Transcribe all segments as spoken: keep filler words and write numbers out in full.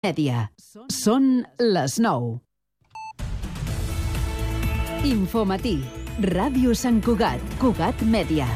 Mèdia. Són les nou. Infomatí. Ràdio Sant Cugat. Cugat Mèdia.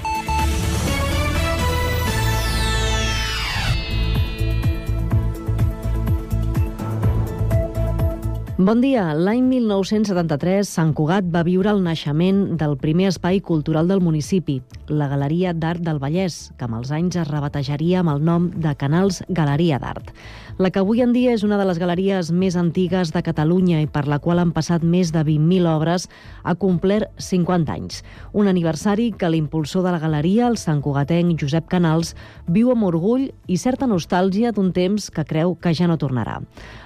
Bon dia. L'any mil nou-cents setanta-tres, Sant Cugat va viure el naixement del primer espai cultural del municipi, la Galeria d'Art del Vallès, que amb els anys es rebatejaria amb el nom de Canals Galeria d'Art. La que avui en dia és una de les galeries més antigues de Catalunya i per la qual han passat més de vint mil obres, ha complert cinquanta anys. Un aniversari que l'impulsor de la galeria, el santcugatenc Josep Canals, viu amb orgull i certa nostàlgia d'un temps que creu que ja no tornarà.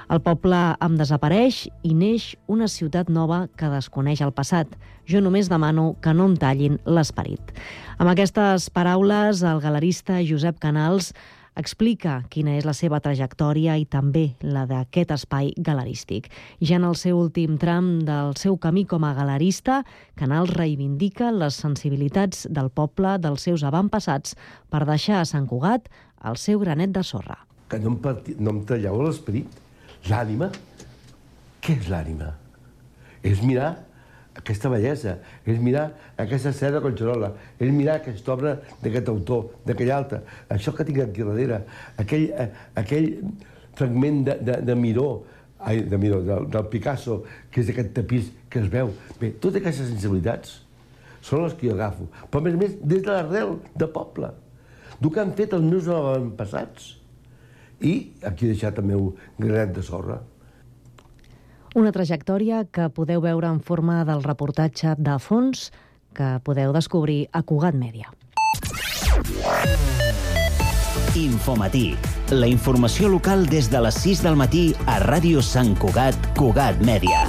El poble em desapareix i neix una ciutat nova que desconeix el passat. Jo només demano que no em tallin l'esperit. Amb aquestes paraules, el galerista Josep Canals explica quina és la seva trajectòria i també la d'aquest espai galerístic. Ja en el seu últim tram del seu camí com a galerista, Canals reivindica les sensibilitats del poble, dels seus avantpassats, per deixar a Sant Cugat el seu granet de sorra. Que no em, parti... no em talleu l'esperit. L'ànima? Què és l'ànima? És mirar aquesta bellesa, és mirar aquesta seda Collserola, és mirar aquesta obra d'aquest autor, d'aquell altre, això que tinc aquí darrere, aquell, aquell fragment de, de, de Miró, ai, de Miró, del, del Picasso, que és aquest tapís que es veu. Bé, totes aquestes sensibilitats són les que jo agafo, però a més a més des de l'arrel de poble, del que han fet els meus avantpassats. I aquí he deixat el meu granet de sorra. Una trajectòria que podeu veure en forma del reportatge de fons que podeu descobrir a Cugat Mèdia. Infomatí. La informació local des de les sis del matí a Ràdio Sant Cugat, Cugat Mèdia.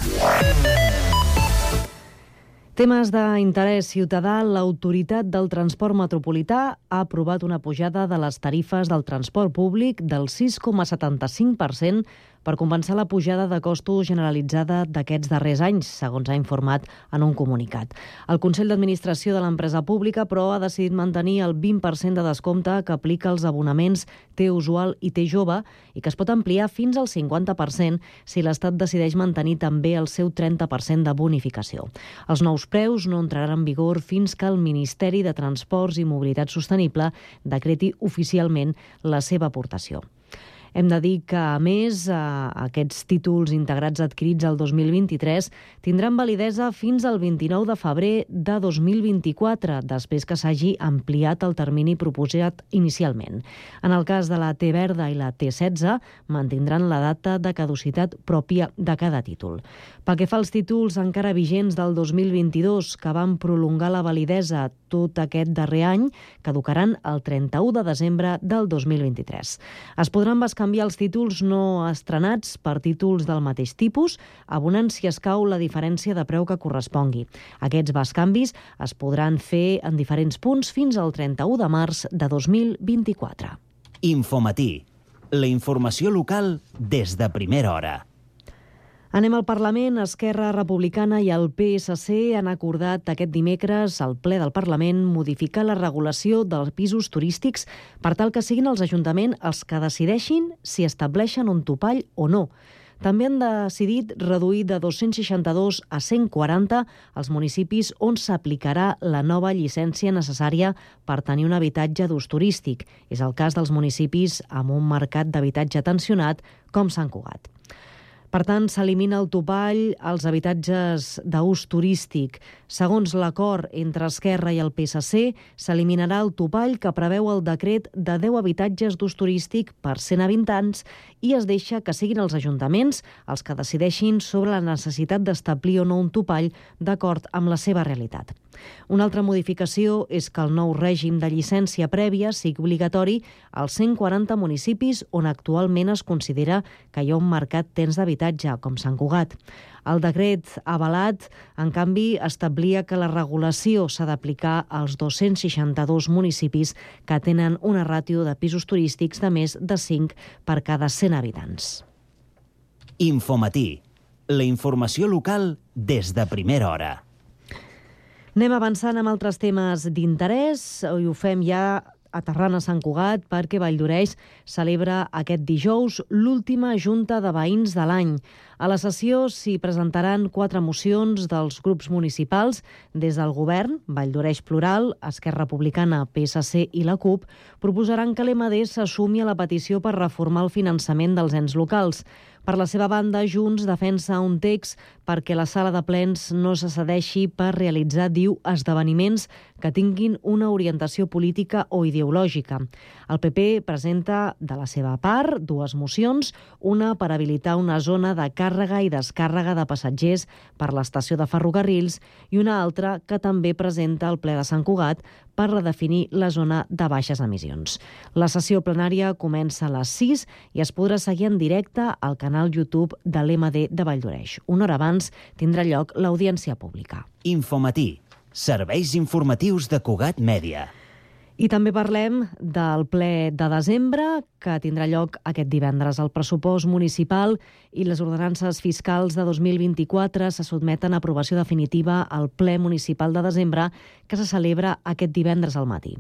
Temes d'interès ciutadà, l'Autoritat del Transport Metropolità ha aprovat una pujada de les tarifes del transport públic del sis coma setanta-cinc per cent per compensar la pujada de costos generalitzada d'aquests darrers anys, segons ha informat en un comunicat. El Consell d'Administració de l'empresa pública, però, ha decidit mantenir el vint per cent de descompte que aplica als abonaments T-Usual i T-Jove i que es pot ampliar fins al cinquanta per cent si l'Estat decideix mantenir també el seu trenta per cent de bonificació. Els nous preus no entraran en vigor fins que el Ministeri de Transports i Mobilitat Sostenible decreti oficialment la seva aportació. Hem de dir que, a més, aquests títols integrats adquirits el dos mil vint-i-tres tindran validesa fins al vint-i-nou de febrer de dos mil vint-i-quatre, després que s'hagi ampliat el termini proposat inicialment. En el cas de la T verda i la T setze, mantindran la data de caducitat pròpia de cada títol. Pel que fa als títols encara vigents del dos mil vint-i-dos, que van prolongar la validesa tot aquest darrer any, caducaran el trenta-u de desembre del dos mil vint-i-tres. Es podran canviar els títols no estrenats per títols del mateix tipus, abonant si escau la diferència de preu que correspongui. Aquests bescanvis es podran fer en diferents punts fins al trenta-u de març de dos mil vint-i-quatre. Infomatí. La informació local des de primera hora. Anem al Parlament. Esquerra Republicana i el P S C han acordat aquest dimecres al ple del Parlament modificar la regulació dels pisos turístics per tal que siguin els ajuntaments els que decideixin si estableixen un topall o no. També han decidit reduir de dos-cents seixanta-dos a cent quaranta els municipis on s'aplicarà la nova llicència necessària per tenir un habitatge d'ús turístic. És el cas dels municipis amb un mercat d'habitatge tensionat com Sant Cugat. Per tant, s'elimina el topall als habitatges d'ús turístic. Segons l'acord entre Esquerra i el P S C, s'eliminarà el topall que preveu el decret de deu habitatges d'ús turístic per cent habitants i es deixa que siguin els ajuntaments els que decideixin sobre la necessitat d'establir o no un topall d'acord amb la seva realitat. Una altra modificació és que el nou règim de llicència prèvia sigui obligatori als cent quaranta municipis on actualment es considera que hi ha un mercat tens d'habitatge, com Sant Cugat. El decret avalat, en canvi, establia que la regulació s'ha d'aplicar als dos-cents seixanta-dos municipis que tenen una ràtio de pisos turístics de més de cinc per cada cent habitants. Infomatí. La informació local des de primera hora. Anem avançant amb altres temes d'interès i ho fem ja aterrant a Sant Cugat perquè Valldoreix celebra aquest dijous l'última junta de veïns de l'any. A la sessió s'hi presentaran quatre mocions dels grups municipals des del govern, Valldoreix Plural, Esquerra Republicana, P S C i la CUP, proposaran que l'E M D s'assumi a la petició per reformar el finançament dels ens locals. Per la seva banda, Junts defensa un text perquè la sala de plens no se cedeixi per realitzar, diu, esdeveniments que tinguin una orientació política o ideològica. El P P presenta, de la seva part, dues mocions, una per habilitar una zona de càrrega i descàrrega de passatgers per l'estació de ferrocarrils i una altra que també presenta el ple de Sant Cugat per redefinir la zona de baixes emissions. La sessió plenària comença a les sis i es podrà seguir en directe al canal YouTube de l'E M D de Valldoreix. Una hora abans tindrà lloc l'audiència pública. Infomatí, serveis informatius de Cugat Mèdia. I també parlem del ple de desembre, que tindrà lloc aquest divendres. El pressupost municipal i les ordenances fiscals de dos mil vint-i-quatre se sotmeten a aprovació definitiva al ple municipal de desembre, que se celebra aquest divendres al matí.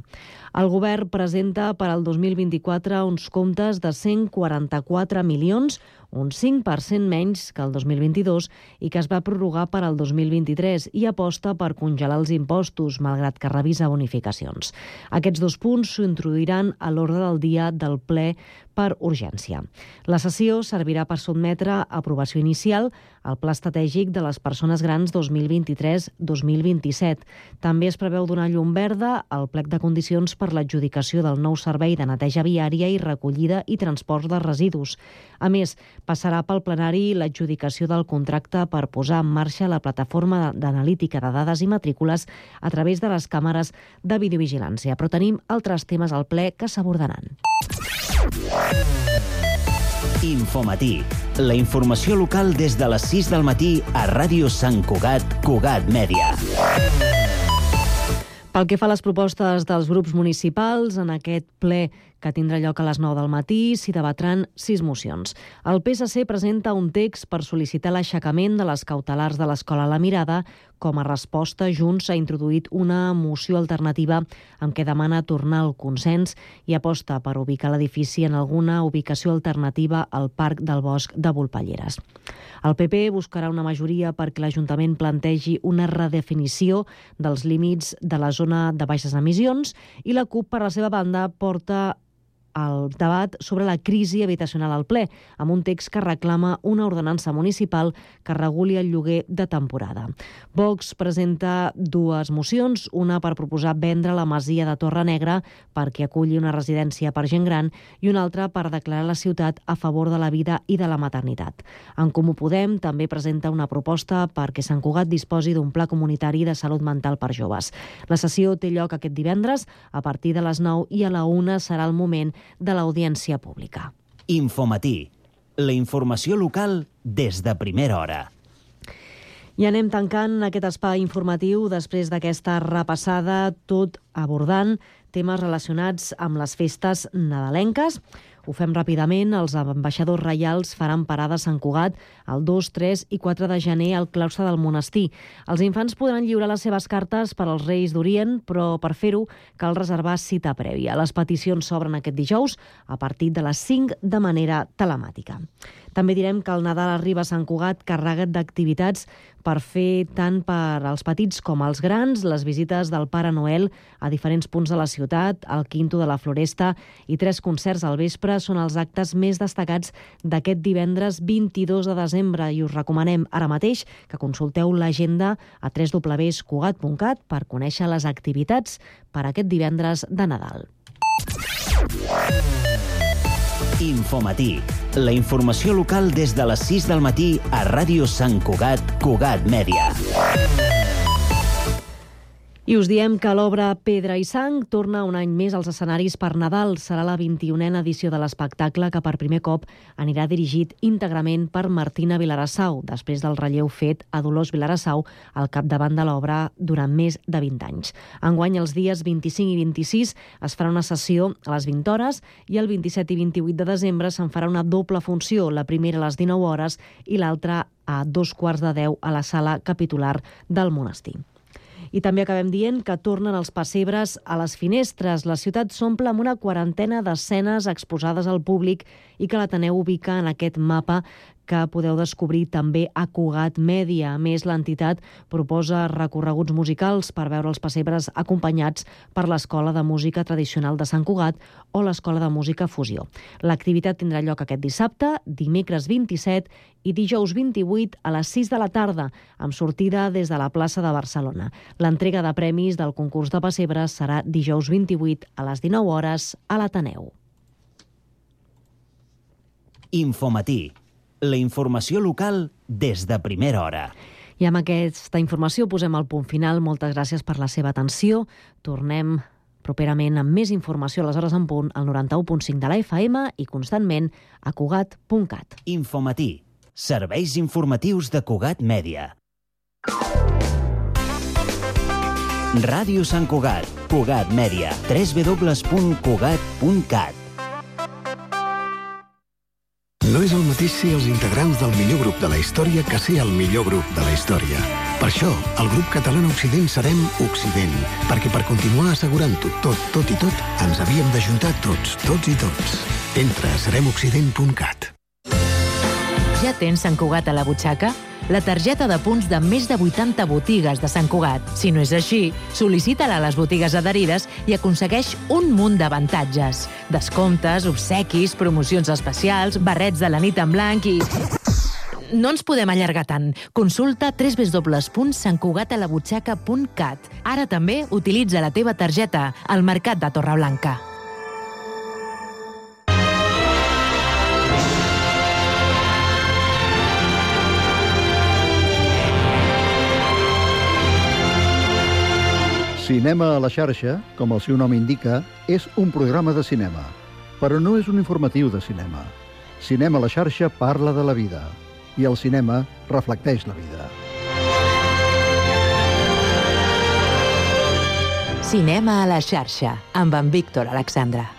El govern presenta per al dos mil vint-i-quatre uns comptes de cent quaranta-quatre milions, un cinc per cent menys que el dos mil vint-i-dos i que es va prorrogar per al dos mil vint-i-tres i aposta per congelar els impostos, malgrat que revisa bonificacions. Aquests dos punts s'introduiran a l'ordre del dia del ple per urgència. La sessió servirà per sotmetre a aprovació inicial el Pla Estratègic de les Persones Grans dos mil vint-i-tres dos mil vint-i-set. També es preveu donar llum verda al plec de condicions per l'adjudicació del nou servei de neteja viària i recollida i transport de residus. A més, passarà pel plenari l'adjudicació del contracte per posar en marxa la plataforma d'analítica de dades i matrícules a través de les càmeres de videovigilància. Però tenim altres temes al ple que s'abordaran. Infomatí, la informació local des de les sis del matí a Ràdio Sant Cugat, Cugat Mèdia. Pel que fa a les propostes dels grups municipals, en aquest ple que tindrà lloc a les nou del matí, s'hi debatran sis mocions. El P S C presenta un text per sol·licitar l'aixecament de les cautelars de l'Escola La Mirada. Com a resposta, Junts ha introduït una moció alternativa amb què demana tornar al consens i aposta per ubicar l'edifici en alguna ubicació alternativa al Parc del Bosc de Volpelleres. El P P buscarà una majoria perquè l'Ajuntament plantegi una redefinició dels límits de la zona de baixes emissions i la CUP, per la seva banda, porta el debat sobre la crisi habitacional al ple, amb un text que reclama una ordenança municipal que reguli el lloguer de temporada. Vox presenta dues mocions, una per proposar vendre la masia de Torre Negra perquè aculli una residència per gent gran i una altra per declarar la ciutat a favor de la vida i de la maternitat. En Comú Podem també presenta una proposta perquè Sant Cugat disposi d'un pla comunitari de salut mental per joves. La sessió té lloc aquest divendres a partir de les nou i a la una serà el moment de l'audiència pública. Infomatí, la informació local des de primera hora. I anem tancant aquest espai informatiu després d'aquesta repassada, tot abordant temes relacionats amb les festes nadalenques. Ho fem ràpidament. Els ambaixadors reials faran parada a Sant Cugat el dos, tres i quatre de gener al claustre del monestir. Els infants podran lliurar les seves cartes per als Reis d'Orient, però per fer-ho cal reservar cita prèvia. Les peticions s'obren aquest dijous a partir de les cinc de manera telemàtica. També direm que el Nadal arriba a Sant Cugat carregat d'activitats per fer tant per als petits com als grans, les visites del Pare Noel a diferents punts de la ciutat, el Quinto de la Floresta i tres concerts al vespre són els actes més destacats d'aquest divendres vint-i-dos de desembre i us recomanem ara mateix que consulteu l'agenda a w w w punt cugat punt cat per conèixer les activitats per aquest divendres de Nadal. Infomatí, la informació local des de les sis del matí a Ràdio Sant Cugat, Cugat Mèdia. I us diem que l'obra Pedra i Sang torna un any més als escenaris per Nadal. Serà la vint-i-unena edició de l'espectacle que per primer cop anirà dirigit íntegrament per Martina Vilarassau, després del relleu fet a Dolors Vilarassau al capdavant de l'obra durant més de vint anys. Enguany, els dies vint-i-cinc i vint-i-sis es farà una sessió a les vint hores i el vint-i-set i vint-i-vuit de desembre se'n farà una doble funció, la primera a les dinou hores i l'altra a dos quarts de deu a la sala capitular del monestir. I també acabem dient que tornen els pessebres a les finestres. La ciutat s'omple amb una quarantena d'escenes exposades al públic i que l'Ateneu ubica en aquest mapa que podeu descobrir també a Cugat Mèdia. A més, l'entitat proposa recorreguts musicals per veure els pessebres acompanyats per l'Escola de Música Tradicional de Sant Cugat o l'Escola de Música Fusió. L'activitat tindrà lloc aquest dissabte, dimecres vint-i-set i dijous vint-i-vuit a les sis de la tarda, amb sortida des de la plaça de Barcelona. L'entrega de premis del concurs de pessebres serà dijous vint-i-vuit a les dinou hores a l'Ateneu. Infomatí. La informació local des de primera hora. I amb aquesta informació posem el punt final. Moltes gràcies per la seva atenció. Tornem properament amb més informació a les hores en punt al noranta-u punt cinc de la F M i constantment a Cugat punt cat. Infomatí. Serveis informatius de Cugat Mèdia. Ràdio Sant Cugat. Cugat Mèdia. w w w punt cugat punt cat. No és el mateix ser els integrants del millor grup de la història que ser el millor grup de la història. Per això, el grup català Occident serem Occident, perquè per continuar assegurant-ho tot, tot i tot, ens havíem d'ajuntar tots, tots i tots. Entra a serem occident punt cat. Ja tens Sant Cugat a la butxaca? La targeta de punts de més de vuitanta botigues de Sant Cugat. Si no és així, sol·licita-la a les botigues adherides i aconsegueix un munt d'avantatges. Descomptes, obsequis, promocions especials, barrets de la nit en blanc i... No ens podem allargar tant. Consulta w w w punt sant cugat a la butxaca punt cat. Ara també utilitza la teva targeta al Mercat de Torreblanca. Cinema a la xarxa, com el seu nom indica, és un programa de cinema, però no és un informatiu de cinema. Cinema a la xarxa parla de la vida, i el cinema reflecteix la vida. Cinema a la xarxa, amb en Víctor Alexandre.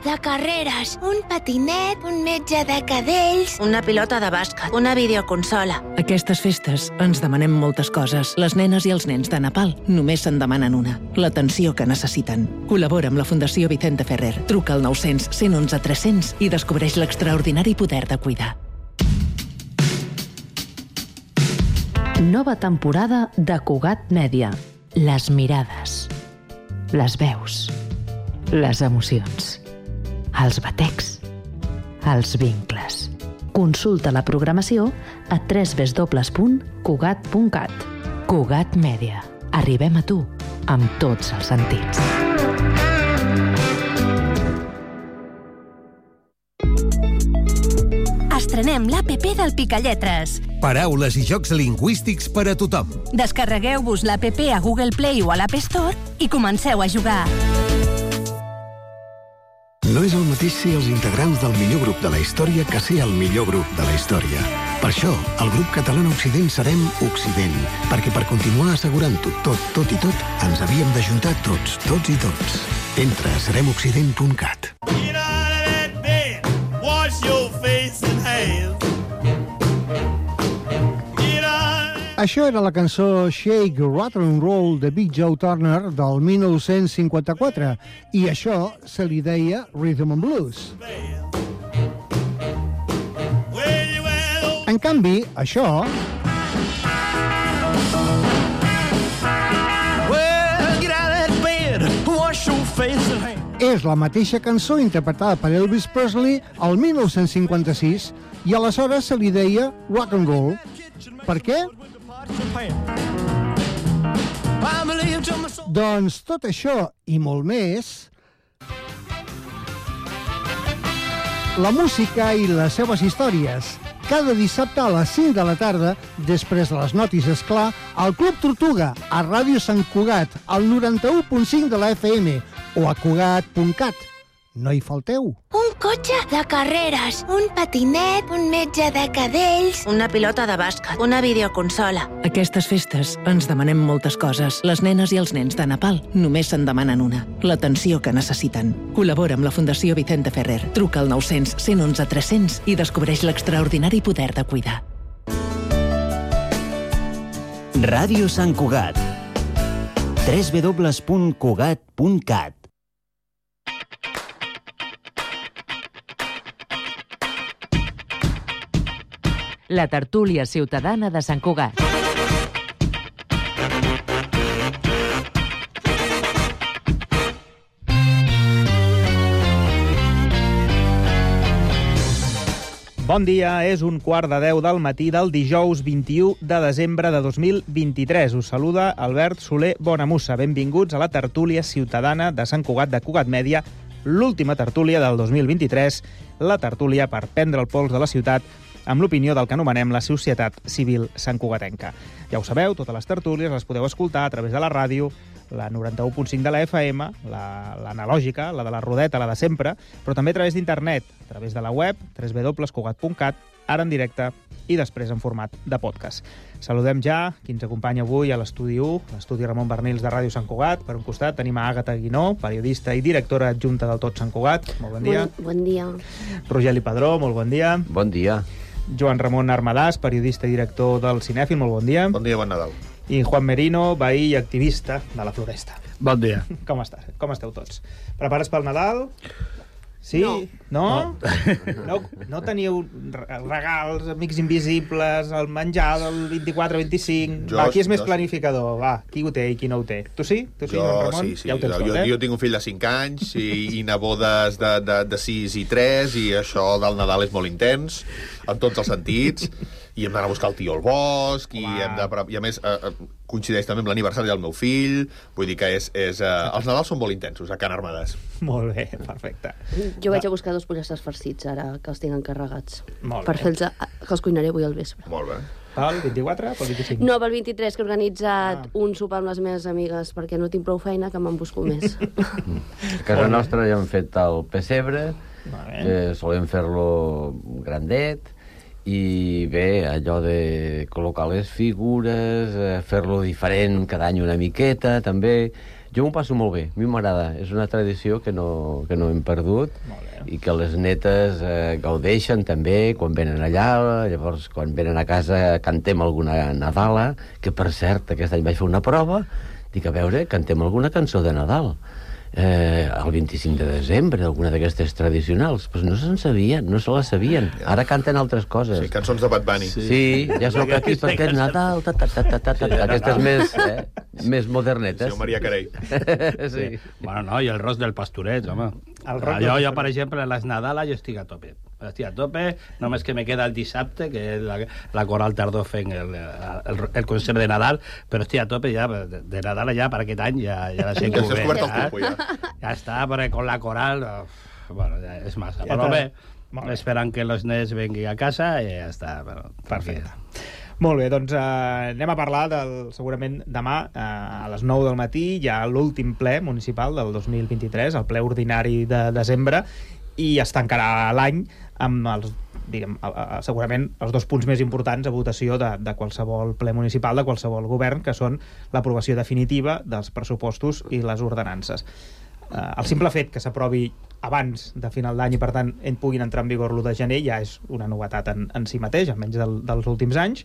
De carreres, un patinet, un metge de cadells, una pilota de bàsquet, una videoconsola. Aquestes festes ens demanem moltes coses. Les nenes i els nens de Nepal només se'n demanen una, l'atenció que necessiten. Col·labora amb la Fundació Vicente Ferrer. Truca al nou-cents, cent onze, tres-cents i descobreix l'extraordinari poder de cuidar. Nova temporada de Cugat Mèdia. Les mirades, les veus, les emocions, els batecs, els vincles. Consulta la programació a w w w punt cugat punt cat. Cugat Mèdia. Arribem a tu amb tots els sentits. Estrenem l'A P P del Picalletres. Paraules i jocs lingüístics per a tothom. Descarregueu-vos l'A P P a Google Play o a l'App Store i comenceu a jugar. No és el mateix ser els integrants del millor grup de la història que ser el millor grup de la història. Per això, el grup català Occident serem Occident, perquè per continuar assegurant-ho tot, tot i tot, ens havíem d'ajuntar tots, tots i tots. Entra a serem occident punt cat. Això era la cançó Shake, Rattle and Roll de Big Joe Turner del dinou cinquanta-quatre i això se li deia Rhythm and Blues. En canvi, això... és la mateixa cançó interpretada per Elvis Presley el dinou cinquanta-sis i aleshores se li deia Rock and Roll. Per què? Doncs tot això i molt més, la música i les seves històries, cada dissabte a les cinc de la tarda, després de les notícies, esclar, al Club Tortuga, a Ràdio Sant Cugat, al noranta-u punt cinc de la F M o a cugat punt cat. no hi falteu. Un cotxe de carreres, un patinet, un metge de cadells, una pilota de bàsquet, una videoconsola. Aquestes festes ens demanem moltes coses. Les nenes i els nens de Nepal només se'n demanen una. L'atenció que necessiten. Col·labora amb la Fundació Vicente Ferrer. Truca al nou cents, cent onze, tres-cents i descobreix l'extraordinari poder de cuidar. Ràdio Sant Cugat. w w w punt cugat punt cat. La tertúlia ciutadana de Sant Cugat. Bon dia, és un quart de deu del matí del dijous vint-i-u de desembre de dos mil vint-i-tres. Us saluda Albert Soler Bonamussa. Benvinguts a la tertúlia ciutadana de Sant Cugat de Cugat Mèdia, l'última tertúlia del dos mil vint-i-tres, la tertúlia per prendre el pols de la ciutat amb l'opinió del que anomenem la societat civil santcugatenca. Ja ho sabeu, totes les tertúlies les podeu escoltar a través de la ràdio, la noranta-u punt cinc de la F M, l'analògica, la, la de la rodeta, la de sempre, però també a través d'internet, a través de la web, w w w punt cugat punt cat, ara en directe i després en format de podcast. Saludem ja qui ens acompanya avui a l'estudi u, l'estudi Ramon Bernils de Ràdio Sant Cugat. Per un costat tenim a Àgata Guinó, periodista i directora adjunta del Tot Sant Cugat. Molt bon dia. Bon, bon dia. Rogeli Padró, molt bon dia. Bon dia. Joan Ramon Armadàs, periodista i director del Cinèfil, molt bon dia. Bon dia, bon Nadal. I Juan Merino, veí i activista de la Floresta. Bon dia. Com estàs? Com esteu tots? Prepares pel Nadal? Sí? No. No? No, no, no teniu regals, amics invisibles, el menjar del vint-i-quatre vint-i-cinc... Va, qui és més planificador? Va, qui ho té i qui no ho té? Tu sí? Tu sí, jo, Joan Ramon? sí, sí. Ja ho tens jo, tot, eh? jo tinc un fill de cinc anys i, i nebodes de, de, de sis i tres, i això del Nadal és molt intens, en tots els sentits, i hem d'anar a buscar el tio al bosc, i, hem de, i a més eh, coincideix també amb l'aniversari del meu fill, vull dir que és, és, eh, els Nadals són molt intensos a Can Armadàs. Molt bé, perfecte. Jo vaig a buscar dos pollastres farcits ara, que els tinc encarregats. Molt per bé. fer-los, que els cuinaré avui al vespre. Molt bé. Pel vint-i-quatre? Pel vint-i-cinc? No, pel vint-i-tres, que he organitzat ah. un sopar amb les meves amigues, perquè no tinc prou feina, que me'n busco més. A casa nostra ja hem fet el pessebre, que solem fer-lo grandet, i bé, allò de col·locar les figures, fer-lo diferent cada any una miqueta, també. Jo m'ho passo molt bé, a mi m'agrada. És una tradició que no, que no hem perdut i que les netes eh, gaudeixen també quan venen allà. Llavors, quan venen a casa, cantem alguna Nadala, que per cert, aquest any vaig fer una prova, dic, a veure, cantem alguna cançó de Nadal. Eh, el vint-i-cinc de desembre, alguna d'aquestes tradicionals, però no se'n sabien, no se les sabien. Ara canten altres coses. Sí, cançons de Bad Bunny. Sí, sí, ja sóc aquí perquè és Nadal, ta, ta, ta, ta, ta, ta. Aquestes més, eh, més modernetes. Sí, Maria Carey. Sí. Bueno, no, i el ros del pastoret, home. El rock jo, del jo, per exemple, a les Nadales jo estic a tope. Estic a tope, només que me queda el dissabte, que és la, la Coral Tardó fent el, el, el concert de Nadal, però estic a tope ja, de, de Nadal ja per aquest any, ja, ja la sé que ho ve. Ja, ja. ja està, perquè con la Coral, bueno, ja és massa. Ja però bé, esperant que els nens venguin a casa i ja està. Però, perfecte. Molt bé, doncs eh, anem a parlar del, segurament demà eh, a les nou del matí hi ha l'últim ple municipal del dos mil vint-i-tres, el ple ordinari de desembre, i es tancarà l'any amb els, diguem, segurament els dos punts més importants a votació de, de qualsevol ple municipal, de qualsevol govern, que són l'aprovació definitiva dels pressupostos i les ordenances. Eh, el simple fet que s'aprovi abans de final d'any i per tant en puguin entrar en vigor l'u de gener ja és una novetat en, en si mateix, almenys del, dels últims anys.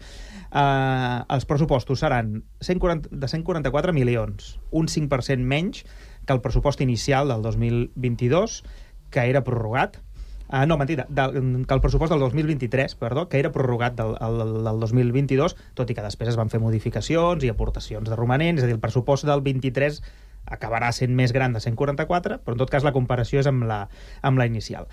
Eh, els pressupostos seran cent quaranta, de cent quaranta-quatre milions, un cinc per cent menys que el pressupost inicial del dos mil vint-i-dos, que era prorrogat. Uh, no, mentida, del, que el pressupost del dos mil vint-i-tres, perdó, que era prorrogat del, el, del dos mil vint-i-dos, tot i que després es van fer modificacions i aportacions de romanents, és a dir, el pressupost del vint-i-tres acabarà sent més gran de cent quaranta-quatre, però en tot cas la comparació és amb la, amb la inicial.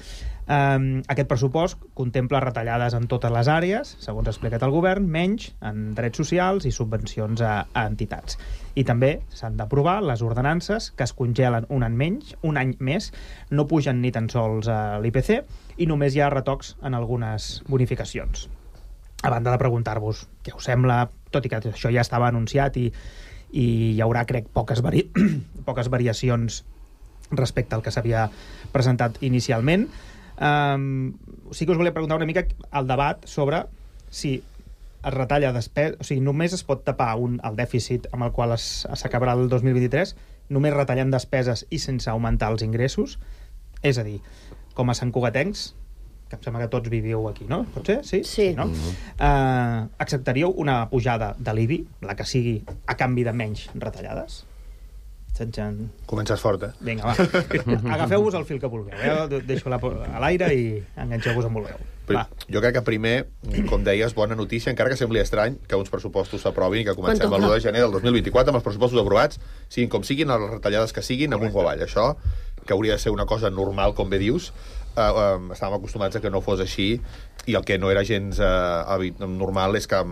Um, aquest pressupost contempla retallades en totes les àrees, segons ha explicat el govern, menys en drets socials i subvencions a, a entitats. I també s'han d'aprovar les ordenances que es congelen un any menys, un any més, no pugen ni tan sols a l'I P C i només hi ha retocs en algunes bonificacions. A banda de preguntar-vos què us sembla, tot i que això ja estava anunciat i i hi haurà, crec, poques, vari... poques variacions respecte al que s'havia presentat inicialment. Um, sí que us volia preguntar una mica el debat sobre si es retalla despesa, o sigui, només es pot tapar un, el dèficit amb el qual s'acabarà el dos mil vint-i-tres només retallant despeses i sense augmentar els ingressos. És a dir, com a santcugatencs, que em sembla que tots viviu aquí, no? Pot ser? Sí? Sí. No? Uh, acceptaríeu una pujada de l'I B I, la que sigui, a canvi de menys retallades? Txan-txan. Comences fort, eh? Vinga, va. Agafeu-vos el fil que vulgueu. Eh? Deixo-la a l'aire i enganxeu-vos on vulgueu. Va. Jo crec que primer, com deies, bona notícia, encara que sembli estrany que uns pressupostos s'aprovin i que comencem el l'u de gener del dos mil vint-i-quatre amb els pressupostos aprovats, siguin com siguin, les retallades que siguin, amunt o avall. Això, que hauria de ser una cosa normal, com bé dius, eh, eh, estàvem acostumats a que no fos així, i el que no era gens eh, normal és que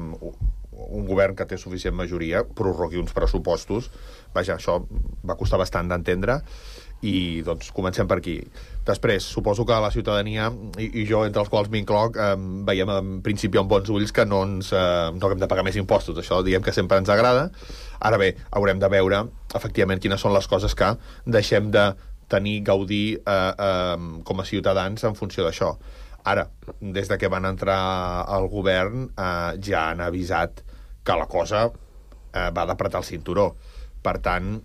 un govern que té suficient majoria prorrogui uns pressupostos. Vaja, això va costar bastant d'entendre, i doncs comencem per aquí. Després, suposo que la ciutadania, i, i jo entre els quals m'incloc, eh, veiem en principi amb bons ulls que no ens eh, no hem de pagar més impostos. Això diem que sempre ens agrada. Ara bé, haurem de veure efectivament quines són les coses que deixem de tenir, gaudir eh, eh, com a ciutadans en funció d'això. Ara, des de que van entrar al govern, eh, ja han avisat que la cosa eh, va d'apretar el cinturó. Per tant,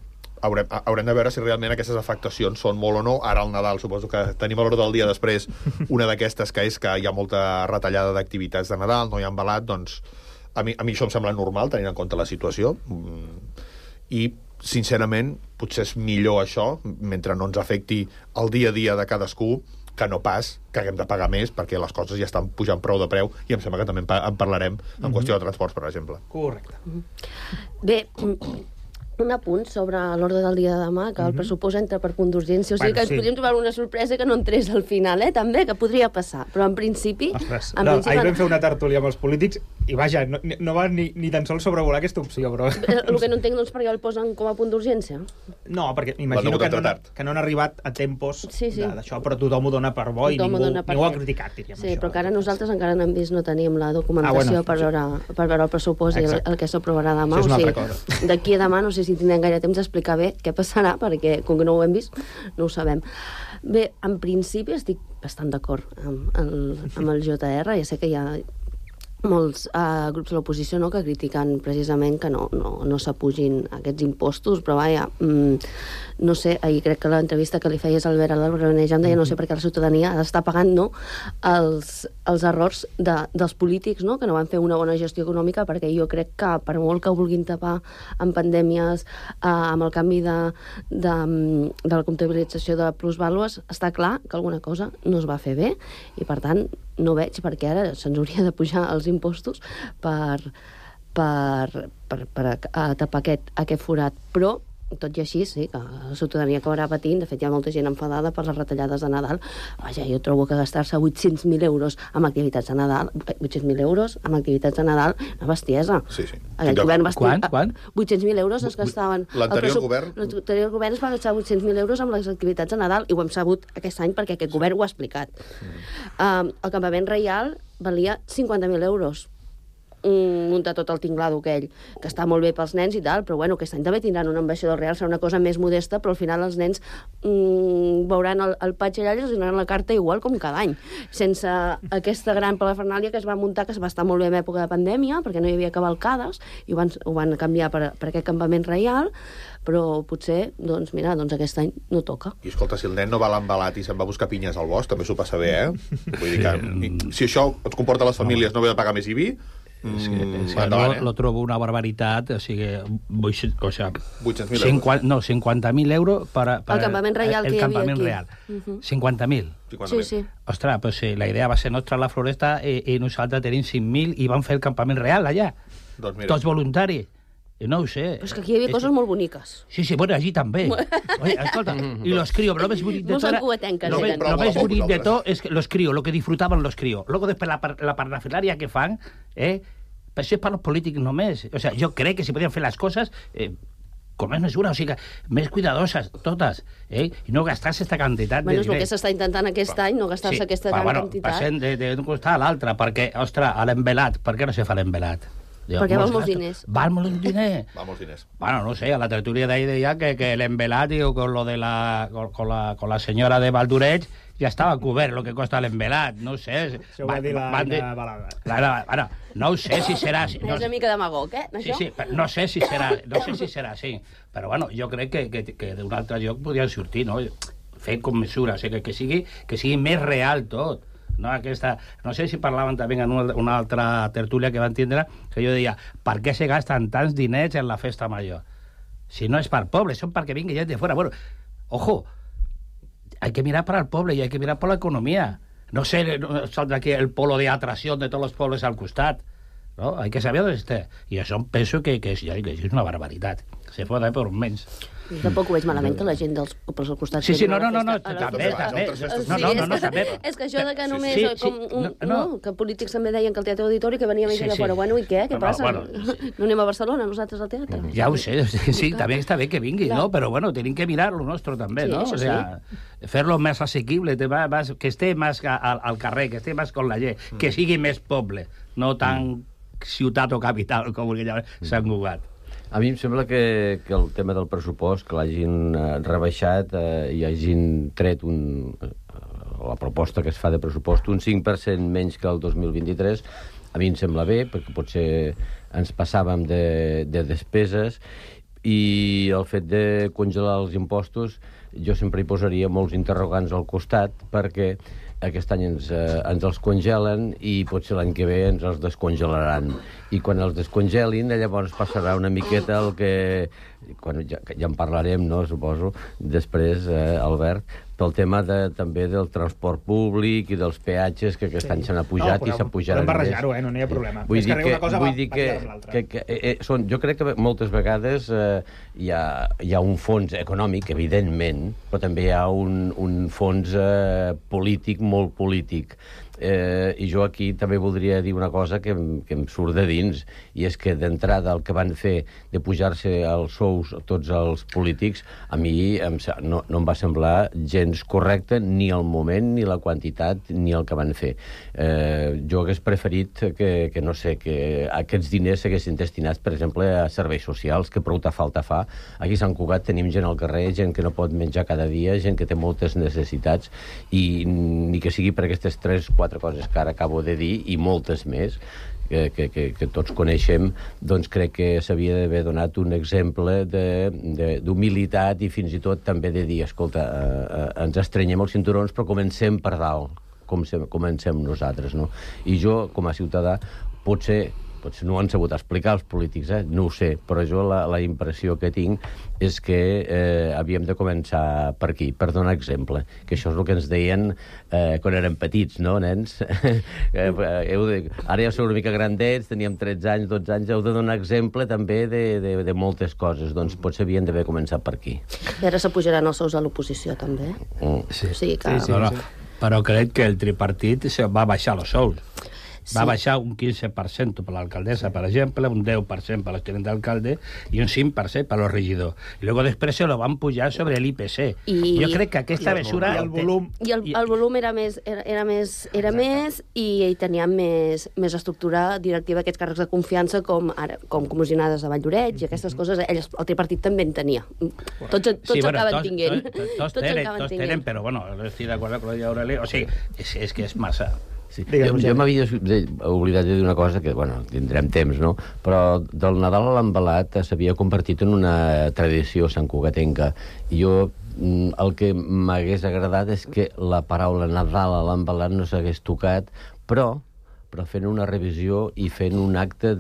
haurem, haurem de veure si realment aquestes afectacions són molt o no. Ara al Nadal suposo que tenim a l'hora del dia després una d'aquestes que és que hi ha molta retallada d'activitats de Nadal, no hi ha embalat, doncs a mi, a mi això em sembla normal tenint en compte la situació, i sincerament potser és millor això, mentre no ens afecti el dia a dia de cadascú, que no pas que haguem de pagar més, perquè les coses ja estan pujant prou de preu, i em sembla que també en parlarem en mm-hmm. qüestió de transports, per exemple. Correcte. Bé, un apunt sobre l'ordre del dia de demà, que el pressupost entra per punt d'urgència, o sigui bueno, que ens sí. podríem trobar una sorpresa que no entrés al final, eh, també, que podria passar, però en principi... Ostres, en no, principi ahir vam fer una tertúlia amb els polítics, i vaja, no, no va ni, ni tan sols sobrevolar aquesta opció, però... El que no entenc, doncs, perquè el posen com a punt d'urgència? No, perquè m'imagino que, no, que no han arribat a tempos sí, sí. d'això, però tothom ho dona per bo i ningú, ningú ho ha criticat, diríem sí, això. Però que ara nosaltres encara no hem vist, no tenim la documentació ah, bueno, per, veure, per veure el pressupost Exacte. i el, el que s'aprovarà demà. Això és una altra cosa. D'aquí a demà no sé si tindrem gaire temps d'explicar bé què passarà, perquè com que no ho hem vist, no ho sabem. Bé, en principi estic bastant d'acord amb, amb, amb el J R, ja sé que hi ha molts uh, grups de l'oposició, no?, que critiquen precisament que no, no, no s'apugin aquests impostos, però vaja, mm, no sé, ahir crec que l'entrevista que li feies al Albert Albarrànega em deia no sé per què la ciutadania està pagant no, els, els errors de, dels polítics, no?, que no van fer una bona gestió econòmica, perquè jo crec que per molt que vulguin tapar amb pandèmies, uh, amb el canvi de, de, de la comptabilització de plusvàlues, està clar que alguna cosa no es va fer bé, i per tant no veig perquè ara se'ns hauria de pujar els impostos per, per, per, per a tapar aquest, aquest forat. Però, tot i així, sí, que la ciutadania acabarà patint. De fet, hi ha molta gent enfadada per les retallades de Nadal. Vaja, jo trobo que gastar-se vuit-cents mil euros amb activitats de Nadal, vuit-cents mil euros amb activitats de Nadal, una bestiesa. Sí, sí. El govern va Quan? Quan? vuit-cents mil euros es gastaven... L'anterior govern? L'anterior govern es va gastar vuit-cents mil euros amb les activitats de Nadal, i ho hem sabut aquest any perquè aquest govern ho ha explicat. Mm. Um, el campament reial valia cinquanta mil euros. Muntar tot el tinglado aquell, que està molt bé pels nens i tal, però bueno, aquest any també tindran un ambaixador real, serà una cosa més modesta, però al final els nens mm, veuran el, el patge allà i els donaran la carta igual com cada any, sense aquesta gran palafernàlia que es va muntar, que es va estar molt bé en època de pandèmia, perquè no hi havia cavalcades, i ho van, ho van canviar per, per aquest campament reial, però potser, doncs mira, doncs aquest any no toca. I escolta, si el nen no va a l'embalat i se'n va a buscar pinyes al bosc, també s'ho passa bé, eh? Vull dir que, si això ens comporta a les famílies no haver de pagar més I B I, és que, és que endavant, no, eh? Lo trobo una barbaritat, o sigui, o sea, vuit-cents mil euros. No, cinquanta mil euros para, para el campament reial el que hi havia campament aquí. Real. Uh-huh. cinquanta mil. Sí, sí. Ostres, pues sí, la idea va ser nostra a la Floresta i, i nosaltres tenim cinc mil i vam fer el campament real allà. Doncs mira. Tots voluntaris. No ho sé. Però és que aquí hi havia coses molt boniques. Sí, sí, bueno, allí també. Oye, escolta, y los críos, lo más bonito de todo era, lo, ve, lo más bonito de todo es que los críos, lo que disfrutaban los críos. Luego después la, la parafernalia que fan, eh, pues això és per als polítics només. O sea, jo crec que si podien fer les coses eh, con més mesura, o sigui, més cuidadoses, totes, eh? I no gastar-se aquesta quantitat bueno, de diners. Bueno, és el que s'està intentant aquest any, no gastar-se sí, aquesta però, gran bueno, quantitat. Passem d'un costat a l'altre, perquè, ostres, a l'envelat, per què no se fa l'envelat? Perquè val molts diners. Val molts diners. Val molts diners. Bueno, no sé, a la tertulia de ahí deia que, que el emvelat, digo, con lo de la, con, con la, con la senyora de Valdureig, ja estava cobert lo que costa l'emvelat, no ho sé. Això ho va dir la Anna Balada. La, la, bueno, no ho sé si serà... Si, no, és una mica demagog, eh? Sí, sí, no sé si serà, no sé si serà així, però bueno, jo crec que, que, que d'un altre lloc podrien sortir, no? Fer com mesura, o sigui, que, que, sigui, que sigui més real tot. No, aquesta, no sé si parlaven també en una, una altra tertúlia que van tindre, que jo deia, per què se gasten tants diners en la festa major? Si no és per poble, són perquè vingui gent de fora. Bueno, ojo, hay que mirar para el pueblo y hay que mirar por la economía. No sé, no, saldrá aquí el polo de atracción de todos los pueblos al costat. No? Hay que saber on està. I això penso que, que, és, que és una barbaritat. Se pot per menys. Tampoc ho veig malament que la gent dels pobles al costat... Sí, sí, no, no, no, no, també, també. No, no, no, també. És que això de que només... com un, no, que polítics també deien que el Teatre Auditori que venia més gent de fora. Bueno, i què? Què passa? No anem a Barcelona, nosaltres al teatre? Ja ho sé, sí, també està bé que vingui, no? Però bueno, tenim que mirar lo nostre també, no? O sea, fer-lo més assequible, que esté més al carrer, que esté més con la gent, que sigui més poble, no tan ciutat o capital com vulgui llamar Sant Cugat. A mi em sembla que, que el tema del pressupost, que l'hagin eh, rebaixat eh, i hagin tret un, eh, la proposta que es fa de pressupost un cinc per cent menys que el dos mil vint-i-tres, a mi em sembla bé, perquè potser ens passàvem de, de despeses, i el fet de congelar els impostos jo sempre hi posaria molts interrogants al costat, perquè aquest any ens, eh, ens els congelen i potser l'any que ve ens els descongelaran. I quan els descongelin, llavors passarà una miqueta el que... Quan ja, ja en parlarem, no, suposo, després, eh, Albert, pel tema de, també del transport públic i dels peatges que aquest sí. any s'han apujat no, i s'apujaran més. Podem barrejar-ho, eh? No n'hi ha problema. Vull dir que, una cosa vull dir que, que, que eh, són, jo crec que moltes vegades eh, hi, ha, hi ha un fons econòmic, evidentment, però també hi ha un, un fons eh, polític, molt polític. Eh, i jo aquí també voldria dir una cosa que, que em surt de dins, i és que d'entrada el que van fer de pujar-se els sous tots els polítics, a mi em, no, no em va semblar gens correcte ni el moment, ni la quantitat, ni el que van fer. Eh, jo hagués preferit que, que, no sé, que aquests diners s'haguessin destinats, per exemple, a serveis socials, que prou falta fa. Aquí a Sant Cugat tenim gent al carrer, gent que no pot menjar cada dia, gent que té moltes necessitats, i ni que sigui per aquestes tres, quatre coses que ara acabo de dir, i moltes més, que, que, que, que tots coneixem, doncs crec que s'havia d'haver donat un exemple d'humilitat i fins i tot també de dir, escolta, eh, ens estrenyem els cinturons però comencem per dalt, com se, comencem nosaltres, no? I jo, com a ciutadà, potser potser no ho han sabut explicar els polítics, eh? No ho sé, però jo la, la impressió que tinc és que eh, havíem de començar per aquí, per donar exemple, que això és el que ens deien eh, quan érem petits, no, nens? eh, heu de, ara ja sou una mica grandets, teníem tretze anys, dotze anys, heu de donar exemple també de, de, de moltes coses, doncs potser havien d'haver començat per aquí. I ara s'apujaran els sous a l'oposició, també. Mm. Sí. Sí, que... sí, sí, no, no. Sí. Però crec que el tripartit va baixar els sous. Sí. Va baixar un quinze per cent per l'alcaldessa, per exemple, un deu per cent per l'estudent d'alcalde i un cinc per cent per los regidors. I luego després se lo van pujar sobre l'I P C. I... Jo crec que aquesta mesura... I el volum... I el, el volum era més, era, era més, era més i, i teníem més, més estructura directiva, aquests càrrecs de confiança com ara com comissionades de Valldoreix i aquestes coses. Elles, el tripartit també en tenia. Tots, tots sí, bueno, acaben tots, tinguent. Tots, tots, tots, tenen, tots tenen, però bueno, estic d'acord amb la Aureli. O sigui, és, és que és massa... Sí. Jo, jo m'havia oblidat de dir una cosa que, bueno, tindrem temps, no? Però del Nadal a l'embalat s'havia convertit en una tradició santcugatenca. I jo el que m'hagués agradat és que la paraula Nadal a l'embalat no s'hagués tocat, però però fent una revisió i fent un acte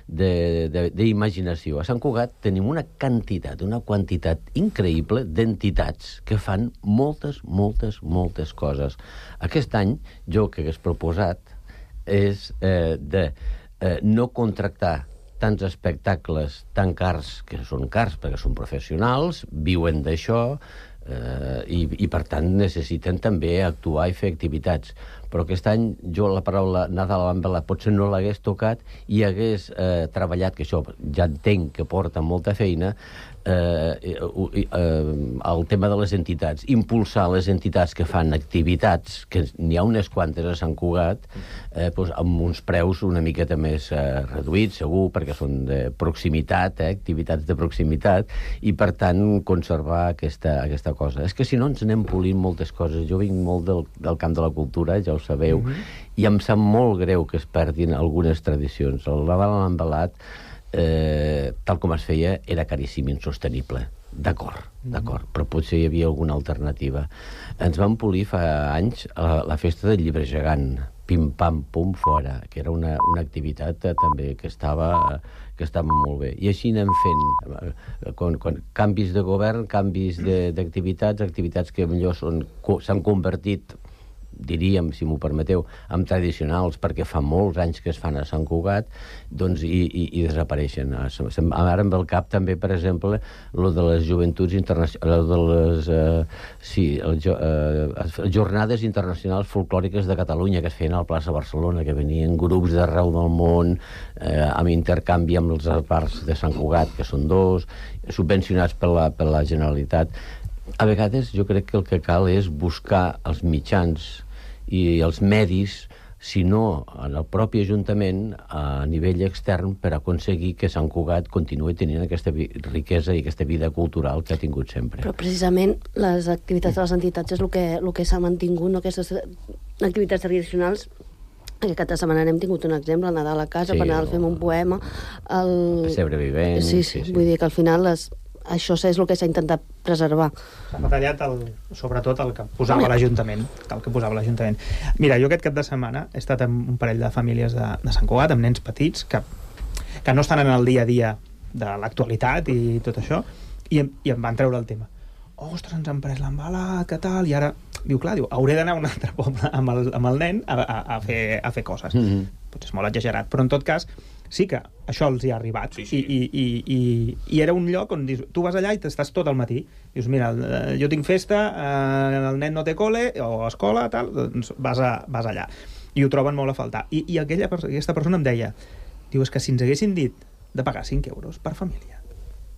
d'imaginació. A Sant Cugat tenim una quantitat, una quantitat increïble d'entitats que fan moltes, moltes, moltes coses. Aquest any, jo que hagués proposat és eh, de eh, no contractar tants espectacles tan cars, que són cars perquè són professionals, viuen d'això, eh, i, i per tant necessiten també actuar i fer activitats. però aquest any jo la paraula Nadal envelat potser no l'hagués tocat i hagués eh, treballat, que això ja entenc que porta molta feina, eh, eh, eh, el tema de les entitats, impulsar les entitats que fan activitats, que n'hi ha unes quantes a Sant Cugat, eh, doncs amb uns preus una miqueta més eh, reduïts, segur, perquè són de proximitat, eh, activitats de proximitat, i per tant conservar aquesta, aquesta cosa. És que si no ens anem polint moltes coses. Jo vinc molt del, del camp de la cultura, ja ho sabeu, mm-hmm. i em sap molt greu que es perdin algunes tradicions. El Nadal envelat, eh, tal com es feia, era caríssim, insostenible. D'acord, d'acord, mm-hmm. però potser hi havia alguna alternativa. Ens vam polir fa anys la, la festa del llibre gegant, pim-pam-pum fora, que era una, una activitat eh, també que estava... Eh, que estava molt bé. I així anem fent eh, quan, quan, canvis de govern, canvis d'activitats, activitats que millor s'han convertit, diríem, si m'ho permeteu, en tradicionals, perquè fa molts anys que es fan a Sant Cugat, doncs, i, i, i desapareixen. Ara em ve al cap també, per exemple, lo de les joventuts internacionals, de les eh, sí, el, eh, jornades internacionals folclòriques de Catalunya, que es feien a la plaça Barcelona, que venien grups d'arreu del món, eh, amb intercanvi amb els bars de Sant Cugat, que són dos, subvencionats per la, per la Generalitat. A vegades jo crec que el que cal és buscar els mitjans i els medis, si no en el propi Ajuntament, a nivell extern, per aconseguir que Sant Cugat continuï tenint aquesta riquesa i aquesta vida cultural que ha tingut sempre. Però precisament les activitats de les entitats és el que, el que s'ha mantingut, no? Aquestes activitats tradicionals. Aquest cap de setmana n'hem tingut un exemple, el Nadal a casa, sí, per Nadal fem un poema. El Pessebre vivent. Sí, sí, sí, vull dir que al final les... això és el que s'ha intentat preservar. S'ha retallat el, sobretot el que posava l'Ajuntament. El que posava l'Ajuntament. Mira, jo aquest cap de setmana he estat amb un parell de famílies de, de Sant Cugat, amb nens petits, que, que no estan en el dia a dia de l'actualitat i tot això, i, i em van treure el tema. Ostres, ens han pres l'embalat, que tal, i ara... Diu, clar, diu, hauré d'anar a un altre poble amb el, amb el nen a, a, a, fer, a fer coses. Mm-hmm. Potser és molt exagerat, però en tot cas sí que això els hi ha arribat. Sí, sí. I, i, i, i era un lloc on dius, tu vas allà i t'estàs tot el matí. Dius, mira, jo tinc festa, eh, el nen no té col·le o escola, tal, doncs vas, a, vas allà. I ho troben molt a faltar. I, i aquella, aquesta persona em deia, diu, és que si ens haguessin dit de pagar cinc euros per família,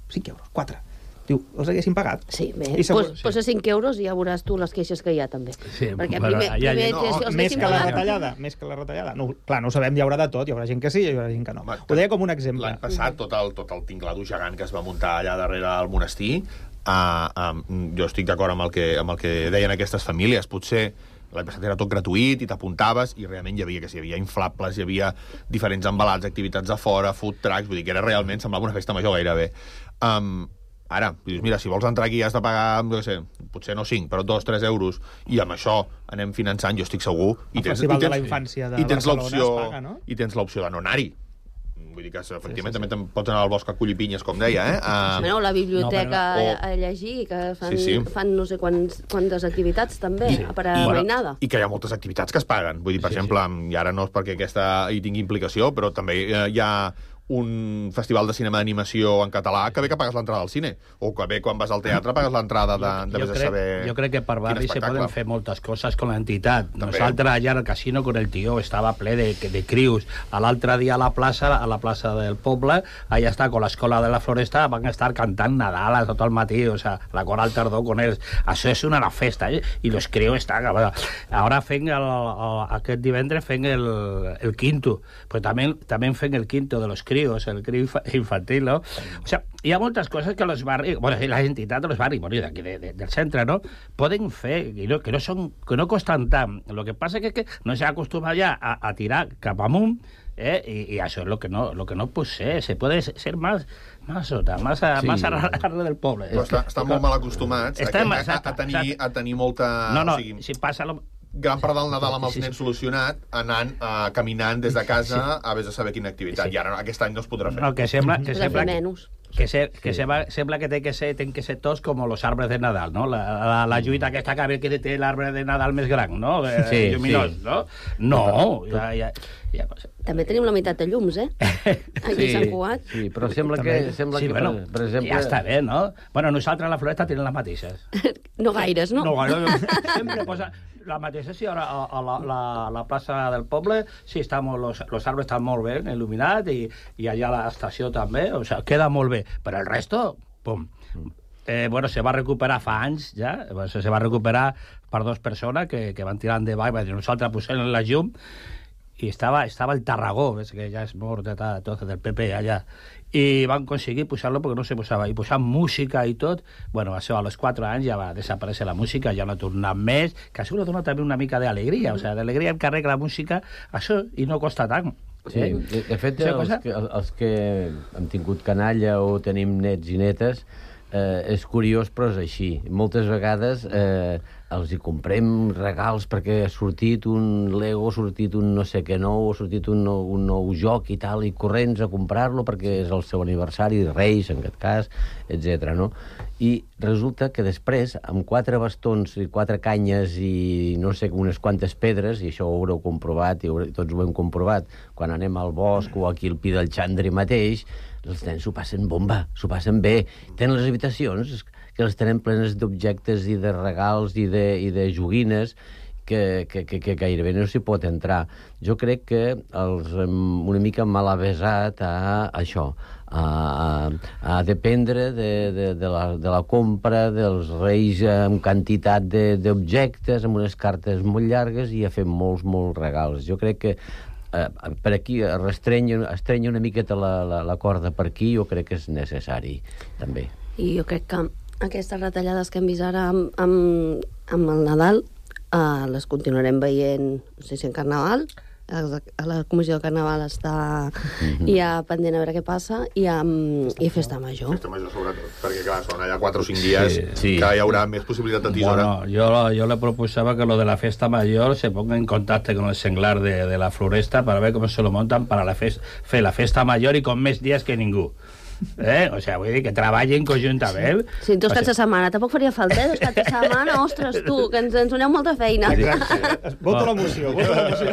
cinc euros, quatre, diu, els haguessin pagat. Sí, bé, segur, pues, sí. Posa cinc euros i ja veuràs tu les queixes que hi ha també. Sí, perquè bueno, primer, ja, primer no, si els més que la pagat... retallada, més que la retallada. No, clar, no ho sabem, hi haurà de tot, hi haurà gent que sí i hi haurà gent que no. Va, ho deia com un exemple. L'any passat, tot el, tot el tinglado gegant que es va muntar allà darrere al monestir, uh, uh, jo estic d'acord amb, el que, amb el que deien aquestes famílies. Potser l'any passat era tot gratuït i t'apuntaves i realment hi havia, que si hi havia inflables, hi havia diferents embalats, activitats a fora, food trucks, vull dir que era realment, semblava una festa major gairebé. Um, Ara, dius, mira, si vols entrar aquí has de pagar, no sé, potser no cinc, però dos, tres euros, i amb això anem finançant, jo estic segur. I el tens, Festival i tens, de la Infància de i tens Barcelona es paga, no? I tens l'opció de no anar-hi. Vull dir que, efectivament, sí, sí, sí. també pots anar al bosc a collir pinyes, com deia, eh? Uh... No, la biblioteca no, però... a llegir, que fan, sí, sí. fan no sé quants, quantes activitats, també, sí. per a mainada. I que hi ha moltes activitats que es paguen. Vull dir, per sí, exemple, sí. i ara no és perquè aquesta hi tingui implicació, però també eh, hi ha un festival de cinema d'animació en català que bé que pagues l'entrada al cine, o que bé quan vas al teatre pagues l'entrada de, de vés a saber... Jo crec que per barri se poden fer moltes coses con l'entitat. Nosaltres allà al casino con el tio estava ple de, de crius. A l'altre dia a la plaça, a la plaça del poble, allà està con l'escola de la Floresta, van estar cantant Nadal a tot el matí, o sea, la coral tardó con ells. Això és una festa, eh? I los crios estan... Ara fent el, el, aquest divendres fent el, el quinto, però també, també fent el quinto de los crios, el crio infantil, ¿no? O sea, hi ha moltes coses que los barris, bueno, les entitats de los barris, bueno, d'aquí de, de, del centre, ¿no? Poden fer, que no, que no, són, que no costen tant. Lo que passa és que, que no s'ha acostumat ja a, a tirar cap amunt, eh? I, i això és lo que no, lo que no pot ser. Se puede ser más, más sota, más a, sí. más a l'arre del poble. Però està, estan molt mal acostumats a, a, a, tenir, a tenir molta... No, no, o sigui, si passa... Lo... gran part del Nadal amb els nens solucionat, anant, uh, caminant des de casa sí. a vés a saber quina activitat. Sí. I ara aquest any no es podrà fer. No, que sembla que, sembla que, que, se, que sí. sembla, sembla que té que ser, ten que ser tots com los arbres de Nadal, no? La, la, la lluita aquesta que, que té l'arbre de Nadal més gran, no? Sí, lluminós, sí. no? No, ja, ja, ja, també tenim la meitat de llums, eh? Aquí sí, a Sant Cugat. Sí, però sembla que, sembla sí, que bueno, per, per exemple... Ja està bé, no? Bueno, nosaltres a la Floresta tenim les mateixes. No gaires, no? No gaires. Sempre posa la mateixa, sí, ara a, a la, la, la plaça del poble, sí, està molt, los, los arbres estan molt ben il·luminats i, i allà a l'estació també, o sigui, queda molt bé. Però el resto, pum. Eh, bueno, se va recuperar fa anys ja, bueno, se va recuperar per dues persones que, que van tirar endavant, i nosaltres posem la llum, i estava, estava el Tarragó, ves que ja és mort de tot, del P P allà, i van aconseguir posar-lo perquè no se posava, i posar música i tot. Bueno, això a los quatre anys ja va desaparèixer la música, ja no ha tornat més, que això dona també una mica d'alegria, o sigui, d'alegria en carrer la música, això, i no costa tant. Sí, eh? de, de fet, els que, els que hem tingut canalla o tenim nets i netes, eh, és curiós, però és així. Moltes vegades eh, els hi comprem regals perquè ha sortit un Lego, ha sortit un no sé què nou, ha sortit un nou, un nou joc i tal, i corrents a comprar-lo perquè és el seu aniversari, Reis, en aquest cas, etcètera, no? I resulta que després, amb quatre bastons i quatre canyes i no sé, unes quantes pedres, i això ho haureu comprovat, i tots ho hem comprovat, quan anem al bosc o aquí al Pi del Xandri mateix, els nens s'ho passen bomba, s'ho passen bé. Tenen les habitacions que les tenen plenes d'objectes i de regals i de, i de joguines que, que, que, que gairebé no s'hi pot entrar. Jo crec que els hem una mica mal avesat a això, a, a, a dependre de, de, de, la, de la compra dels reis amb quantitat d'objectes, amb unes cartes molt llargues i a fer molts, molts regals. Jo crec que eh, per aquí restrenya, estrenya una miqueta la, la, la corda per aquí, jo crec que és necessari, també. I jo crec que aquestes retallades que hem vist ara amb, amb, amb el Nadal eh, les continuarem veient, no sé si en Carnaval, a la comissió de Carnaval està mm-hmm. ja pendent a veure què passa, i, amb, i Festa Major. Festa Major, sobretot, perquè clar, són allà quatre o cinc dies sí, sí. que hi haurà més possibilitat de tisora. Bueno, yo, yo le proposaba que lo de la Festa Mayor se ponga en contacto con el senglar de, de la Floresta para ver cómo se lo montan para la fes, fer la Festa Mayor i con més dies que ningú. Eh? O sea, vull dir que treballin conjuntament. Sí, dos caps de setmana, tampoc faria falta, eh? Dos caps de setmana, ostres, tu, que ens, ens doneu molta feina. Vota l'emoció, vota l'emoció.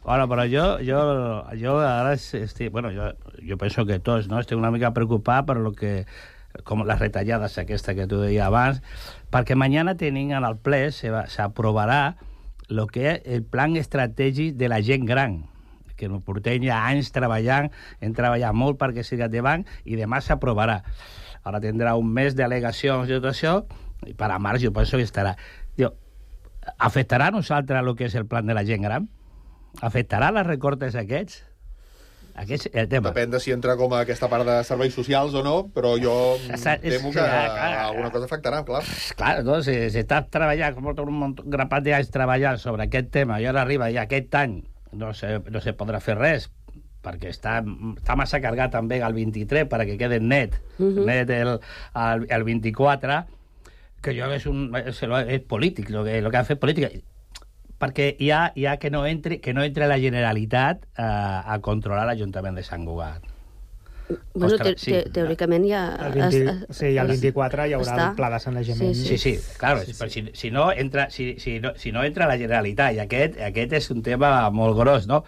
Bueno, però jo, jo, jo ara estic, bueno, jo, jo penso que tots, no? Estic una mica preocupat per lo que, com les retallades aquesta que tu deies abans, perquè mañana tenim en el ple, s'aprovarà lo que és el plan estratègic de la gent gran, que no portem ja anys treballant, hem treballat molt perquè sigui endavant, i demà s'aprovarà. Ara tindrà un mes d'al·legacions i tot això, i per a març jo penso que estarà. Diu, afectarà a nosaltres el que és el plan de la gent gran? Afectarà les recortes aquests? Aquest és el tema. Depèn de si entra com a aquesta part de serveis socials o no, però jo temo que alguna cosa afectarà, clar. Clar, no? Si, si estàs treballant, com un grapat d'anys treballant sobre aquest tema, i ara arriba ja aquest any, no se, no se podrà fer res, perquè està, està massa carregat també el vint-i-tres perquè quede net, uh-huh. net el, el, el vint-i-quatre, que jo és, un, és, és polític, el que, lo que ha fet política, perquè hi ha, hi ha que no entre, que no entre la Generalitat a, a controlar l'Ajuntament de Sant Cugat. Bueno, Ostres, te, sí. te, teòricament ja... El vint, es, sí, el vint-i-quatre hi haurà està. El pla de sanejament. Sí, sí, sí, sí claro, sí, sí. Però si, si, no entra, si, si, no, si no entra la Generalitat, i aquest, aquest és un tema molt gros, no?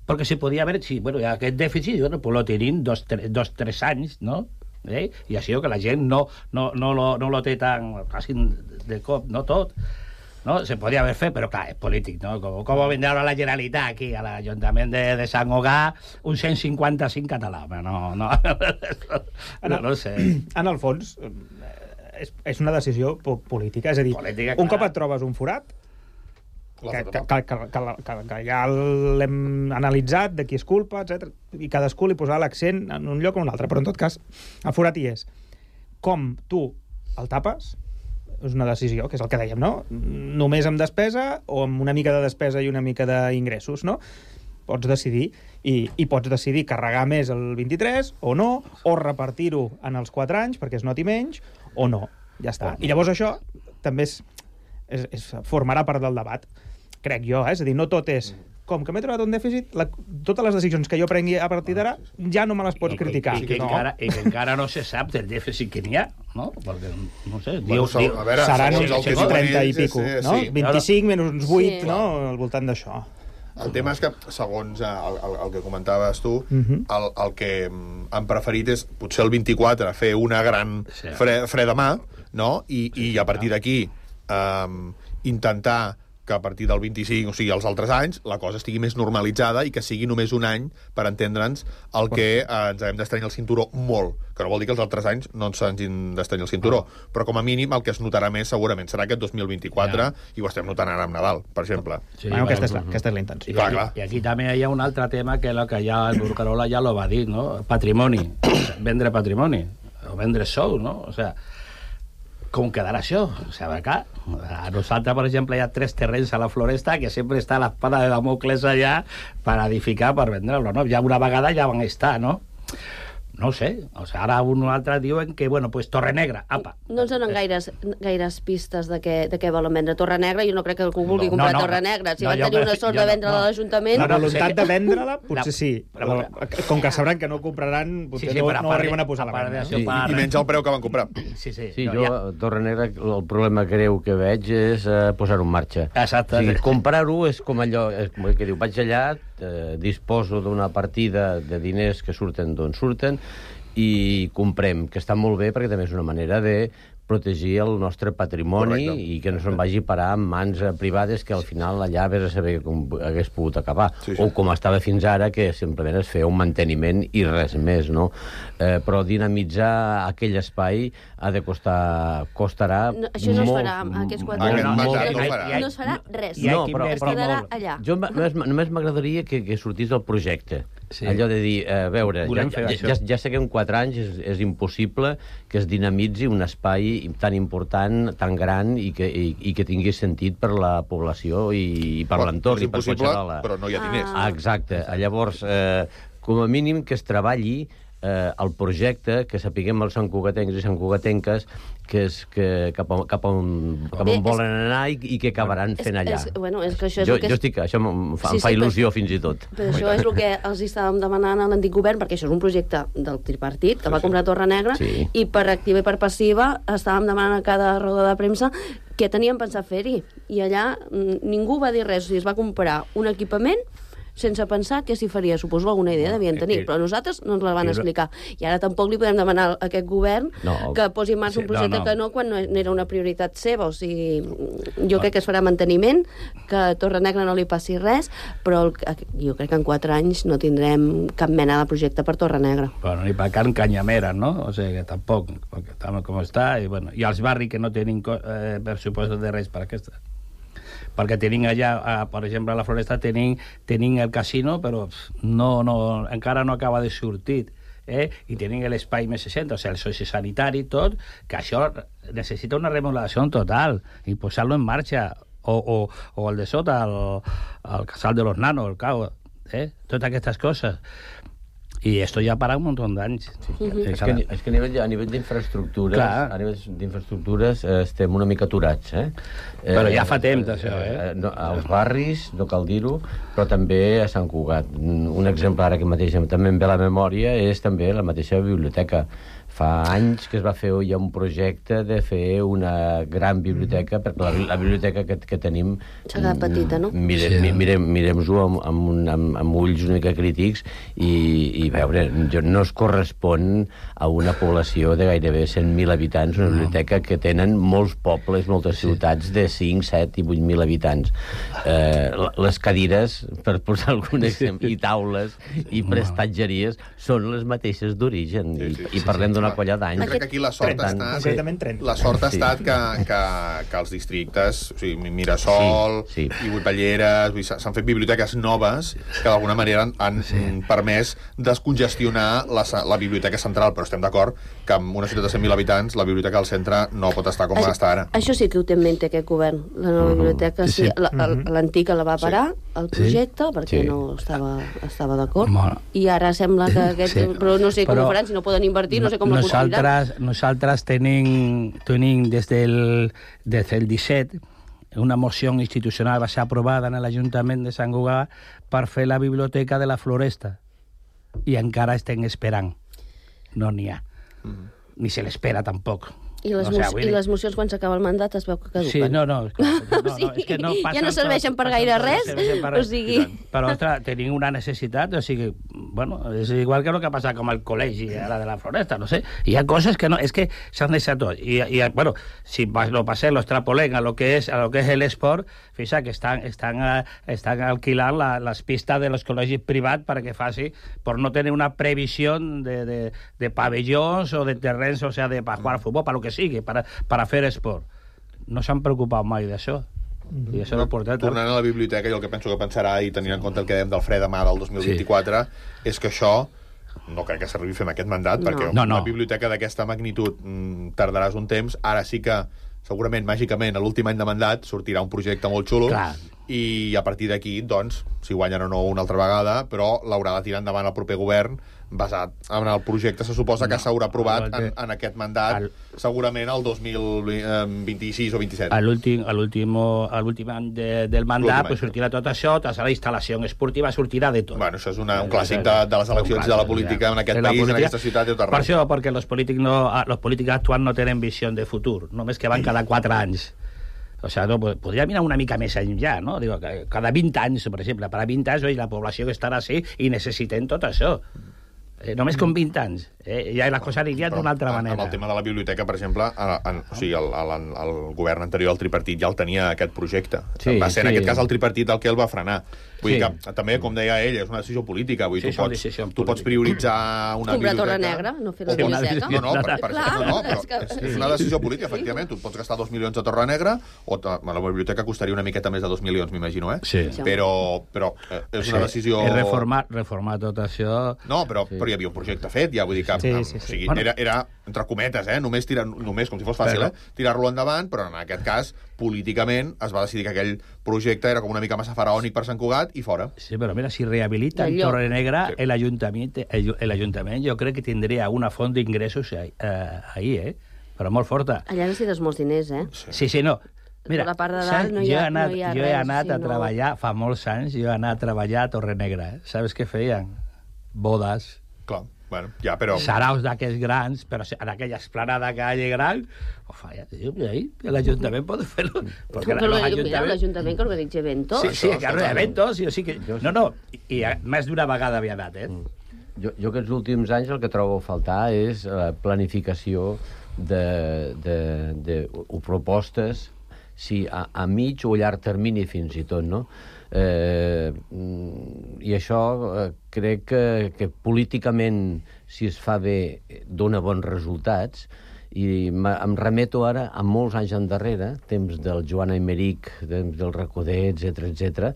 Perquè si podia haver, si, bueno, aquest dèficit, bueno, pues lo tenim dos, tres, dos, tres anys, no? Eh? I així que la gent no, no, no, lo, no lo té tan quasi de cop, no tot. No? Se podria haver fet, però clar, és polític, no? Com, com vindrà la Generalitat aquí, a l'Ajuntament de, de Sant Cugat, un cent cinquanta-cinc català, però no, no, no, no sé. En el fons, és, és una decisió política, és a dir, política, un cop et trobes un forat, que, que, que, que, que, que ja l'hem analitzat, de qui és culpa, etcètera, i cadascú li posarà l'accent en un lloc o en un altre, però en tot cas, el forat hi és. Com tu el tapes, és una decisió, que és el que dèiem, no? Només amb despesa o amb una mica de despesa i una mica d'ingressos, no? Pots decidir, i, i pots decidir carregar més el vint-i-tres o no, o repartir-ho en els quatre anys perquè es noti menys, o no. Ja està. I llavors això també és, és, és, formarà part del debat, crec jo, eh? És a dir, no tot és... Com que m'he trobat un dèficit, la, totes les decisions que jo prengui a partir d'ara ja no me les pots I, criticar. I, i, que no. encara, I que encara no se sap del dèficit que n'hi ha, no? Perquè, no sé, bueno, diu, diu, a veure, seran uns, uns trenta i pico, sí, sí, no? Sí. vint-i-cinc menys uns vuit, sí. No? Al voltant d'això. El tema és que, segons el, el, el que comentaves tu, Mhm. el, el que han preferit és, potser el vint-i-quatre, fer una gran fre, freda mà, no? I, i a partir d'aquí um, intentar que a partir del vint-i-cinc, o sigui, els altres anys, la cosa estigui més normalitzada i que sigui només un any per entendre'ns el que eh, ens hem d'estrenyar el cinturó molt, que no vol dir que els altres anys no ens hagin d'estrenyar el cinturó, però com a mínim el que es notarà més segurament serà aquest dos mil vint-i-quatre, ja. I ho estem notant ara amb Nadal, per exemple. Sí, bueno, aquesta, és la, aquesta és la intenció. I, clar, clar. I aquí també hi ha un altre tema que, lo que ja el Burcarola ja lo va dir, no? Patrimoni, vendre patrimoni, o vendre sou, no? O sea, com quedarà això? O sigui, clar, a nosaltres, per exemple, hi ha tres terrenys a la Floresta que sempre està l'espada de Damocles allà per edificar, per vendre-lo, no? Ja una vegada ja van estar, no? No sé, o sigui, ara un o altre diuen que, bueno, pues Torrenegra, apa. No ens donen gaires, gaires pistes de què, de què volen vendre Torrenegra. Jo no crec que algú vulgui No, comprar no, no, Torrenegra. Si no, van jo tenir me- una sort jo de no, vendre-la no. a l'Ajuntament... La voluntat de vendre-la, potser La- sí. però- Com que sabran que no compraran, potser Sí, sí, no, però a no part arriben de- a posar a la part venda. d'això, no? per- I menys el preu que van comprar. Sí, sí. Sí, no, jo, ja. a Torrenegra, el problema greu que veig és eh, posar-ho en marxa. Exacte. O sigui, comprar-ho és com allò, és com el que diu, vaig allà, eh, disposo d'una partida de diners que surten d'on surten i comprem, que està molt bé perquè també és una manera de protegir el nostre patrimoni. Correcte. I que no se'n vagi a parar en mans eh, privades que al final allà vés a saber com hagués pogut acabar. Sí, sí. O com estava fins ara, que simplement es feia un manteniment i res més, no? Eh, però dinamitzar aquell espai ha de costar... costarà No, això no es molt, farà amb aquests quatre molt, anys. molt, No, molt. no, no, no es farà res. No, però, es però quedarà allà. jo ma- només, només m'agradaria que, que sortís del projecte. Sí. Allò de dir, a veure, ja, Volem fer ja, això. ja, ja sé que en quatre anys és, és impossible que es dinamitzi un espai tan important, tan gran i que, i, i que tingui sentit per la població i, i per Bueno, l'entorn. és i per impossible, qualsevol- però no hi ha diners. Ah, exacte. Llavors, eh, com a mínim que es treballi eh, el projecte, que sapiguem els santcugatencs i santcugatenques que és que cap, on, cap, on, cap Bé, on és- volen anar i, i què acabaran fent allà. És, bueno, és que això és Jo, el que... jo és- estic, això em fa, Sí, em fa sí, il·lusió fins i tot. Però això és el que els estàvem demanant a l'antic govern, perquè això és un projecte del tripartit, que va comprar Torrenegra, Sí. i per activa i per passiva estàvem demanant a cada roda de premsa què teníem pensat fer-hi. I allà mm, ningú va dir res. O sigui, es va comprar un equipament sense pensar què s'hi faria. Suposo alguna idea devien tenir, però nosaltres no ens la van i- explicar. I ara tampoc li podem demanar a aquest govern No. que posi en marxa Sí, un projecte no, no. que no, quan no era una prioritat seva. O sigui, jo crec que es farà manteniment, que a Torrenegra no li passi res, però el, jo crec que en quatre anys no tindrem cap mena de projecte per Torrenegra. Bueno, ni per Can Canyamera, no? O sigui, que tampoc, perquè està com està, i, bueno, i els barris que no tenen eh, pressupost de res per aquesta. Perquè tenim allà, eh, per exemple, a la Floresta tenim, tenim el casino, però pff, no, no, encara no acaba de sortir. Eh? I tenim l'espai més seixanta, o sigui, el sociosanitari i tot, que això necessita una remodelació total i posar-lo en marxa. O, o, o el de sota, el, el casal de los nanos, el cau, eh? Totes aquestes coses. I esto ja para un muntó d'anys. Sí, Mhm. És que, a ni- és que a nivell, a nivell d'infraestructures, Clar. a nivell d'infraestructures eh, estem una mica aturats, eh? Però ja fa temps, això, eh? No, als barris, no cal dir-ho, però també a Sant Cugat. Un exemple ara que mateix també em ve a la memòria és també la mateixa biblioteca. Fa anys que es va fer ja un projecte de fer una gran biblioteca, perquè la, la biblioteca que, que tenim... S'ha quedat petita, no? Mire, Sí. mi- mirem, mirem-ho amb, amb, un- amb, amb ulls una mica crítics i, i veure, jo- no es correspon a una població de gairebé cent mil habitants, una biblioteca que tenen molts pobles, moltes ciutats de cinc, set i vuit mil habitants. Eh, les cadires, per posar algun exemple, i taules i prestatgeries són les mateixes d'origen Sí, sí, i, i parlem d'una colla d'anys. Jo crec que aquí la sort Per ha tant, estat... Concretament trenta. La sort ha Sí. estat que, que, que els districtes, o sigui, Mirasol Sí, sí. i Vuitballeres, vull dir, s'han fet biblioteques noves que d'alguna manera han, han sí. permès descongestionar la, la biblioteca central, però estem d'acord que en una ciutat de cent mil habitants la biblioteca del centre no pot estar com Això- està ara. Això sí que ho té en mente aquest govern. La nova biblioteca, sí, Sí. la- el- l'antica la va parar, el projecte, perquè Sí. no estava, estava d'acord. Bueno. I ara sembla que aquest... Sí. Però no sé com Però ho faran, si no poden invertir, no sé com ho construiran. nosaltres, nosaltres tenim, tenim des del, des del disset una moció institucional va ser aprovada en l'Ajuntament de Sant Cugat per fer la biblioteca de la Floresta i encara estem esperant. No n'hi ha. Mm. Ni se l'espera tampoc. I les, O sea, mo vull I dir- les mocions, quan s'acaba el mandat, es veu que caduquen. Sí, no, no, és que, no, no, Sí, és que no ja passen no serveixen per gaire passen- res, serveixen per o res. sigui... Però, ostres, tenim una necessitat, o sigui, bueno, és igual que el que ha passat com al col·legi ara de la Floresta, no sé, hi ha coses que no, és que s'han deixat tot, i, i bueno, si lo passem, lo extrapolem a lo que és, a lo que és l'esport, fixa que estan, estan, eh, estan alquilant la, les pistes de los col·legis privats perquè faci, per no tenir una previsió de, de, de pavellons o de terrenys, o sea, de para jugar futbol, para lo que sigui, para, para fer esport. No s'han preocupat mai d'això. I això no porta... Tornant a la biblioteca, jo el que penso que pensarà, i tenint en compte el que dèiem del fre demà del dos mil vint-i-quatre, sí. és que això no crec que s'arribi a fer amb aquest mandat, no. perquè no, no. una biblioteca d'aquesta magnitud mm, tardaràs un temps. Ara sí que, segurament, màgicament, a l'últim any de mandat sortirà un projecte molt xulo, Clar. i a partir d'aquí, doncs, si guanyen o no una altra vegada, però l'haurà de tirar endavant el proper govern, basat en el projecte, se suposa que no, s'haurà aprovat en, en aquest mandat, el, segurament el dos mil vint-i-sis o vint-i-set. A l'últim any de, del mandat pues, sortirà tot això, tota la instal·lació esportiva sortirà de tot. Bueno, això és una, un clàssic de, de les eleccions de la política en aquest país, política, en aquesta ciutat i tot arreu. Per això, perquè els polítics, no, els polítics actuals no tenen visió de futur, només que van cada quatre anys. O sea, no, podria mirar una mica més enllà, no? Digo, cada vint anys, per exemple, per a vint anys, oi, la població que estarà així i necessitem tot això. Eh, només com vint anys. Eh? Ja les coses anirien d'una altra manera. Amb el tema de la biblioteca, per exemple, en, en, o sigui, el, el, el govern anterior, el tripartit, ja el tenia aquest projecte. Sí, va ser, sí. En aquest cas, el tripartit el que el va frenar. Vull sí. dir que, també, com deia ell, és una decisió política. Vull dir, sí, tu, pots, tu pots prioritzar una Comprar biblioteca... Torre Negra, no fer la biblioteca. No, no, per, per, Clar, no, no, però és, que... és, és una decisió política, efectivament. Tu et pots gastar dos milions a Torre Negra, o ta, la biblioteca costaria una miqueta més de dos milions, m'imagino, eh? Sí. Però, però eh, és una decisió... És reformar, reformar tot això... No, però, sí. però hi havia un projecte fet, ja vull dir que... Sí, sí, sí. O sigui, bueno. era, era, entre cometes, eh? Només, tirar, només com si fos fàcil, però... eh? Tirar-lo endavant, però en aquest cas, políticament, es va decidir que aquell projecte era com una mica massa faraònic per Sant Cugat i fora. Sí, però mira, si rehabilitan Torre Negra, sí. el, Ajuntament, el, el Ajuntament jo crec que tindria una font d'ingressos ahí, eh, ahí, eh? Però molt forta. Allà necessites molts diners, eh? Sí, sí, no. Mira, la part de dalt no hi ha, anat, no hi ha jo res. he anat sí, a treballar, no... fa molts anys, jo he anat a treballar a Torre Negra. Eh? Saps què feien? Bodes. Clar, bueno, ja, però... Saraus d'aquests grans, però en aquella esplanada que hi ha gran, oh, ja, ahí, l'Ajuntament pot fer-lo. Però l'Ajuntament que organitza eventos. Sí, sí, que organitza eventos, sí, o sigui que... No, no, i més d'una vegada havia anat, eh? Jo, jo aquests últims anys el que trobo a faltar és la planificació de, de, de, de propostes, sí, a, a mig o llarg termini fins i tot, no? Eh, I això eh, crec que, que políticament, si es fa bé, dona bons resultats, i em remeto ara a molts anys endarrere, temps del Joan Aymeric, temps del Recoder, etcètera, etcètera,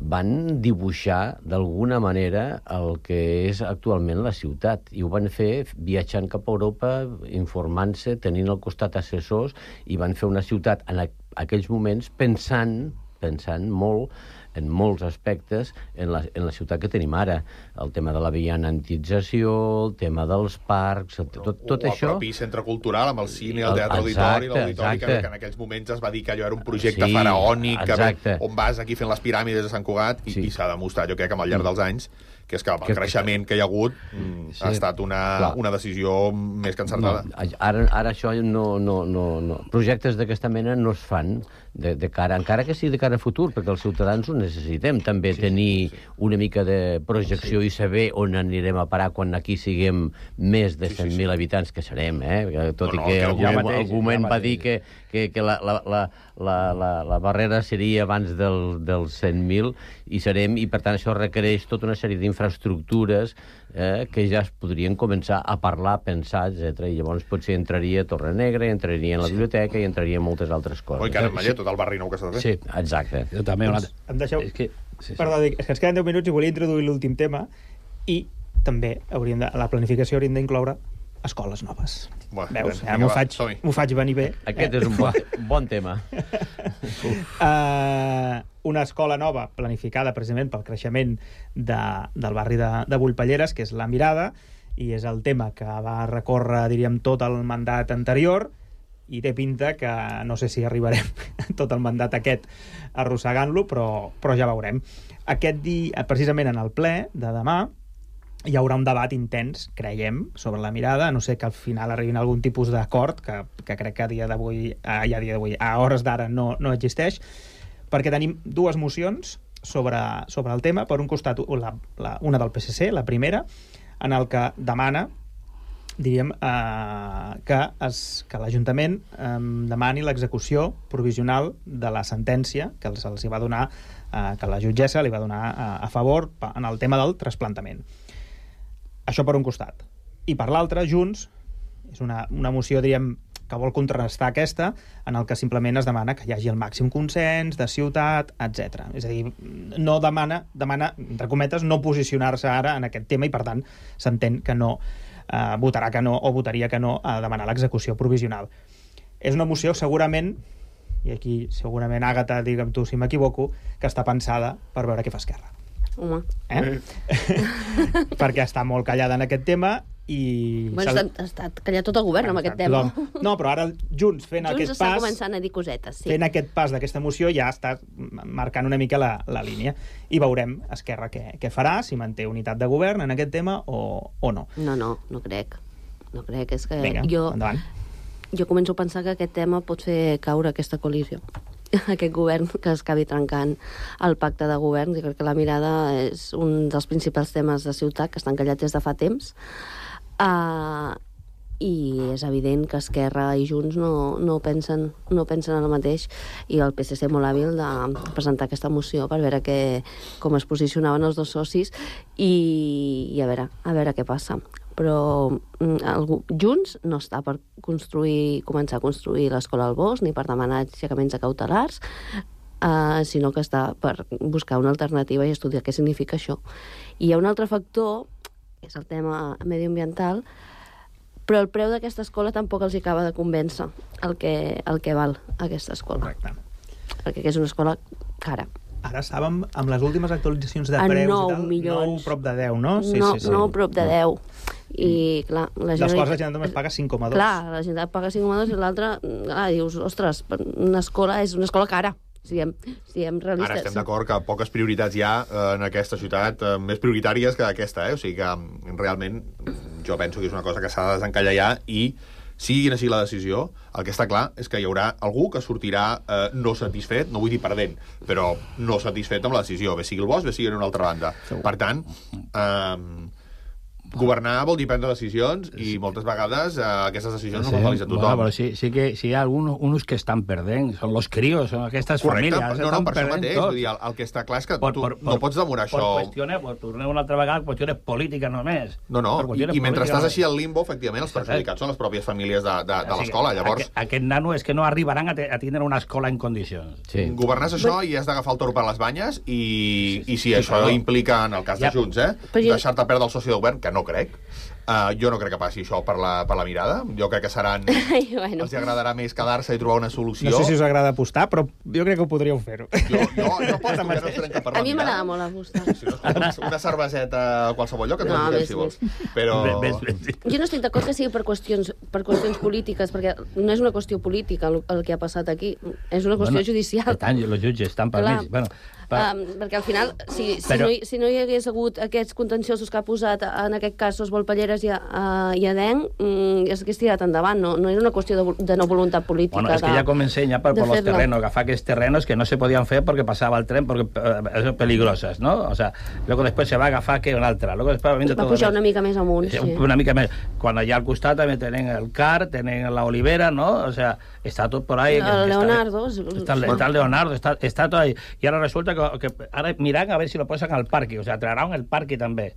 van dibuixar d'alguna manera el que és actualment la ciutat, i ho van fer viatjant cap a Europa, informant-se, tenint al costat assessors, i van fer una ciutat en aquells moments pensant, pensant molt en molts aspectes en la, en la ciutat que tenim ara. El tema de la vianantització, el tema dels parcs, tot, tot o això... O el propi centre cultural amb el cine, el teatre auditori, l'auditori, que, que en aquells moments es va dir que allò era un projecte sí, faraònic, que, on vas aquí fent les piràmides de Sant Cugat, i, sí. i s'ha demostrat, jo crec, que al llarg dels anys, que és que el creixement que hi ha hagut sí. ha estat una, una decisió més que encertada. No, ara, ara això no, no, no, no... Projectes d'aquesta mena no es fan de, de cara, encara que sigui de cara a futur, perquè els ciutadans ho necessitem, també sí, tenir sí, sí. una mica de projecció sí. i saber on anirem a parar quan aquí siguem més de cent mil sí, sí, sí. habitants, que serem, eh? Tot no, no, i que, que algú, mateix, algú moment va dir que, que, que la, la, la, la, la, la barrera seria abans del, dels cent mil, i serem, i per tant això requereix tota una sèrie d'infraestructures eh, que ja es podrien començar a parlar, a pensar, etcètera. I llavors potser entraria Torre Negra, entraria en la biblioteca i entraria en moltes altres coses. Oi, que ara en Mallet, tot el barri nou que s'ha de fer. Sí, exacte. Jo també doncs, em deixeu... És que, sí, sí. Perdó, dic, és que ens queden deu minuts i volia introduir l'últim tema, i també hauríem de, a la planificació hauríem d'incloure escoles noves. Bueno, veus? Ja m'ho faig, faig venir bé. Aquest eh? és un bon, bon tema. uh, una escola nova planificada precisament pel creixement de, del barri de, de Bullpalleres, que és La Mirada, i és el tema que va recórrer, diríem, tot el mandat anterior, i té pinta que no sé si arribarem tot el mandat aquest arrossegant-lo, però, però ja veurem. Aquest dia, precisament en el ple de demà, hi haurà un debat intens, creiem, sobre la mirada, a no ser que al final arribin a algun tipus d'acord, que, que crec que a dia d'avui, a, ja a dia d'avui, a hores d'ara no, no existeix, perquè tenim dues mocions sobre, sobre el tema. Per un costat, la, la, una del P S C, la primera, en el que demana, diríem, eh, que, es, que l'Ajuntament eh, demani l'execució provisional de la sentència que els, els hi va donar, eh, que la jutgessa li va donar eh, a favor en el tema del trasplantament. Això per un costat. I per l'altre, Junts, és una, una moció, diríem, que vol contrarrestar aquesta, en el que simplement es demana que hi hagi el màxim consens de ciutat, etcètera. És a dir, no demana, demana, entre cometes, no posicionar-se ara en aquest tema i, per tant, s'entén que no eh, votarà que no o votaria que no a demanar l'execució provisional. És una moció, segurament, i aquí segurament, Àgata, digue'm tu si m'equivoco, que està pensada per veure què fa Esquerra. Home. Eh? Perquè està molt callada en aquest tema i... Bueno, ha estat, ha estat callat tot el govern amb aquest tema. No, però ara Junts fent Junts aquest està pas... començant a dir cosetes, sí. Fent aquest pas d'aquesta moció ja està marcant una mica la, la línia. I veurem Esquerra què, què farà, si manté unitat de govern en aquest tema o, o no. No, no, no crec. No crec, és que Vinga, jo... endavant. Jo començo a pensar que aquest tema pot fer caure aquesta coalició. Aquest govern que es acabi trencant el pacte de govern. Jo crec que la mirada és un dels principals temes de ciutat que estan callats des de fa temps. Uh, I és evident que Esquerra i Junts no, no, pensen, no pensen en el mateix, i el P S C molt hàbil de presentar aquesta moció per veure que, com es posicionaven els dos socis i, i a, veure, a veure què passa. Però el, Junts no està per construir, començar a construir l'escola al Bosc ni per demanar aixecaments cautelars, uh, sinó que està per buscar una alternativa i estudiar què significa això. I hi ha un altre factor, que és el tema mediambiental, però el preu d'aquesta escola tampoc els acaba de convèncer el que, el que val aquesta escola. Correcte. Perquè és una escola cara. Ara estàvem amb les últimes actualitzacions de preus nou i tal, milions. nou prop de deu, no? Sí, no, sí, sí. nou prop de deu. I, clar, la Dels quals la gent només paga cinc coma dos. Clar, la gent paga cinc coma dos i l'altra, clar, dius, ostres, una escola és una escola cara. Siguem, siguem realistes. Ara estem d'acord que poques prioritats hi ha en aquesta ciutat, eh, més prioritàries que aquesta, eh? O sigui que realment jo penso que és una cosa que s'ha de desencallar ja, i sigui quina sigui la decisió, el que està clar és que hi haurà algú que sortirà eh, no satisfet, no vull dir perdent, però no satisfet amb la decisió, bé sigui el Bosch, bé sigui en una altra banda. Per tant, eh, governar vol dir prendre decisions i moltes vegades eh, aquestes decisions sí, no fan feliç a tothom. Bueno, però sí, sí que sí hi ha algunos, unos que estan perdent, són los críos, són aquestes Correcte, famílies. no, no, per això mateix, vull dir, el, el que està clar és que por, tu por, no pots demorar por això... Per qüestiones, per tornar una altra vegada, qüestiones polítiques només. No, no, i, i mentre estàs així al limbo, efectivament, els Sí, perjudicats són les pròpies famílies de, de, de O sigui, l'escola, llavors... Aquest, aquest nano és que no arribaran a, te, a tindre una escola en condicions. Sí. Governes això i has d'agafar el toro per les banyes i, sí, sí, i si sí, això però... implica, en el cas de Ja. Junts, eh, jo- deixar-te perdre el soci de govern, que no crec, Uh, jo no crec que passi això per la, per la mirada. Jo crec que seran... bueno. Els agradarà més quedar-se i trobar una solució. No sé si us agrada apostar, però jo crec que ho podríeu fer-ho. Jo, jo, jo aposto que no serem cap per la A mi m'agrada mirada. molt apostar. Si no, una, una cerveseta a qualsevol lloc, et No, no, més, si vols. Però... Ves, ves, ves. Jo no estic d'acord que sigui per qüestions, per qüestions polítiques, perquè no és una qüestió política el, el que ha passat aquí, és una qüestió Bueno, judicial. Per tant, els jutges estan per Clar. mig. Bueno, per... Um, perquè al final, si, si, Però- no hi, si no hi hagués hagut aquests contenciosos que ha posat, en aquest cas, Sos Volpelleres i, uh, i Adenc, mm, ja s'hagués tirat endavant. No, no era una qüestió de, de no voluntat política. Bueno, es que de, ya comencé ya por, de por los fer-la. terrenos, agafar aquests terrenos que no se podían hacer porque pasaba el tren, porque eh, son peligrosas, ¿no? O sea, luego después se va a agafar que una altra, luego después va, Va pujar una mica més amunt, sí. Una mica més. Quan allà al costat també tenen el Car, tenen la Olivera, ¿no? O sea, está todo por ahí. El Leonardo. Está, está, está el Leonardo, está, está todo ahí. Y ahora resulta que, que ahora miran a ver si lo posen al parque, o sea, traerán el parque també.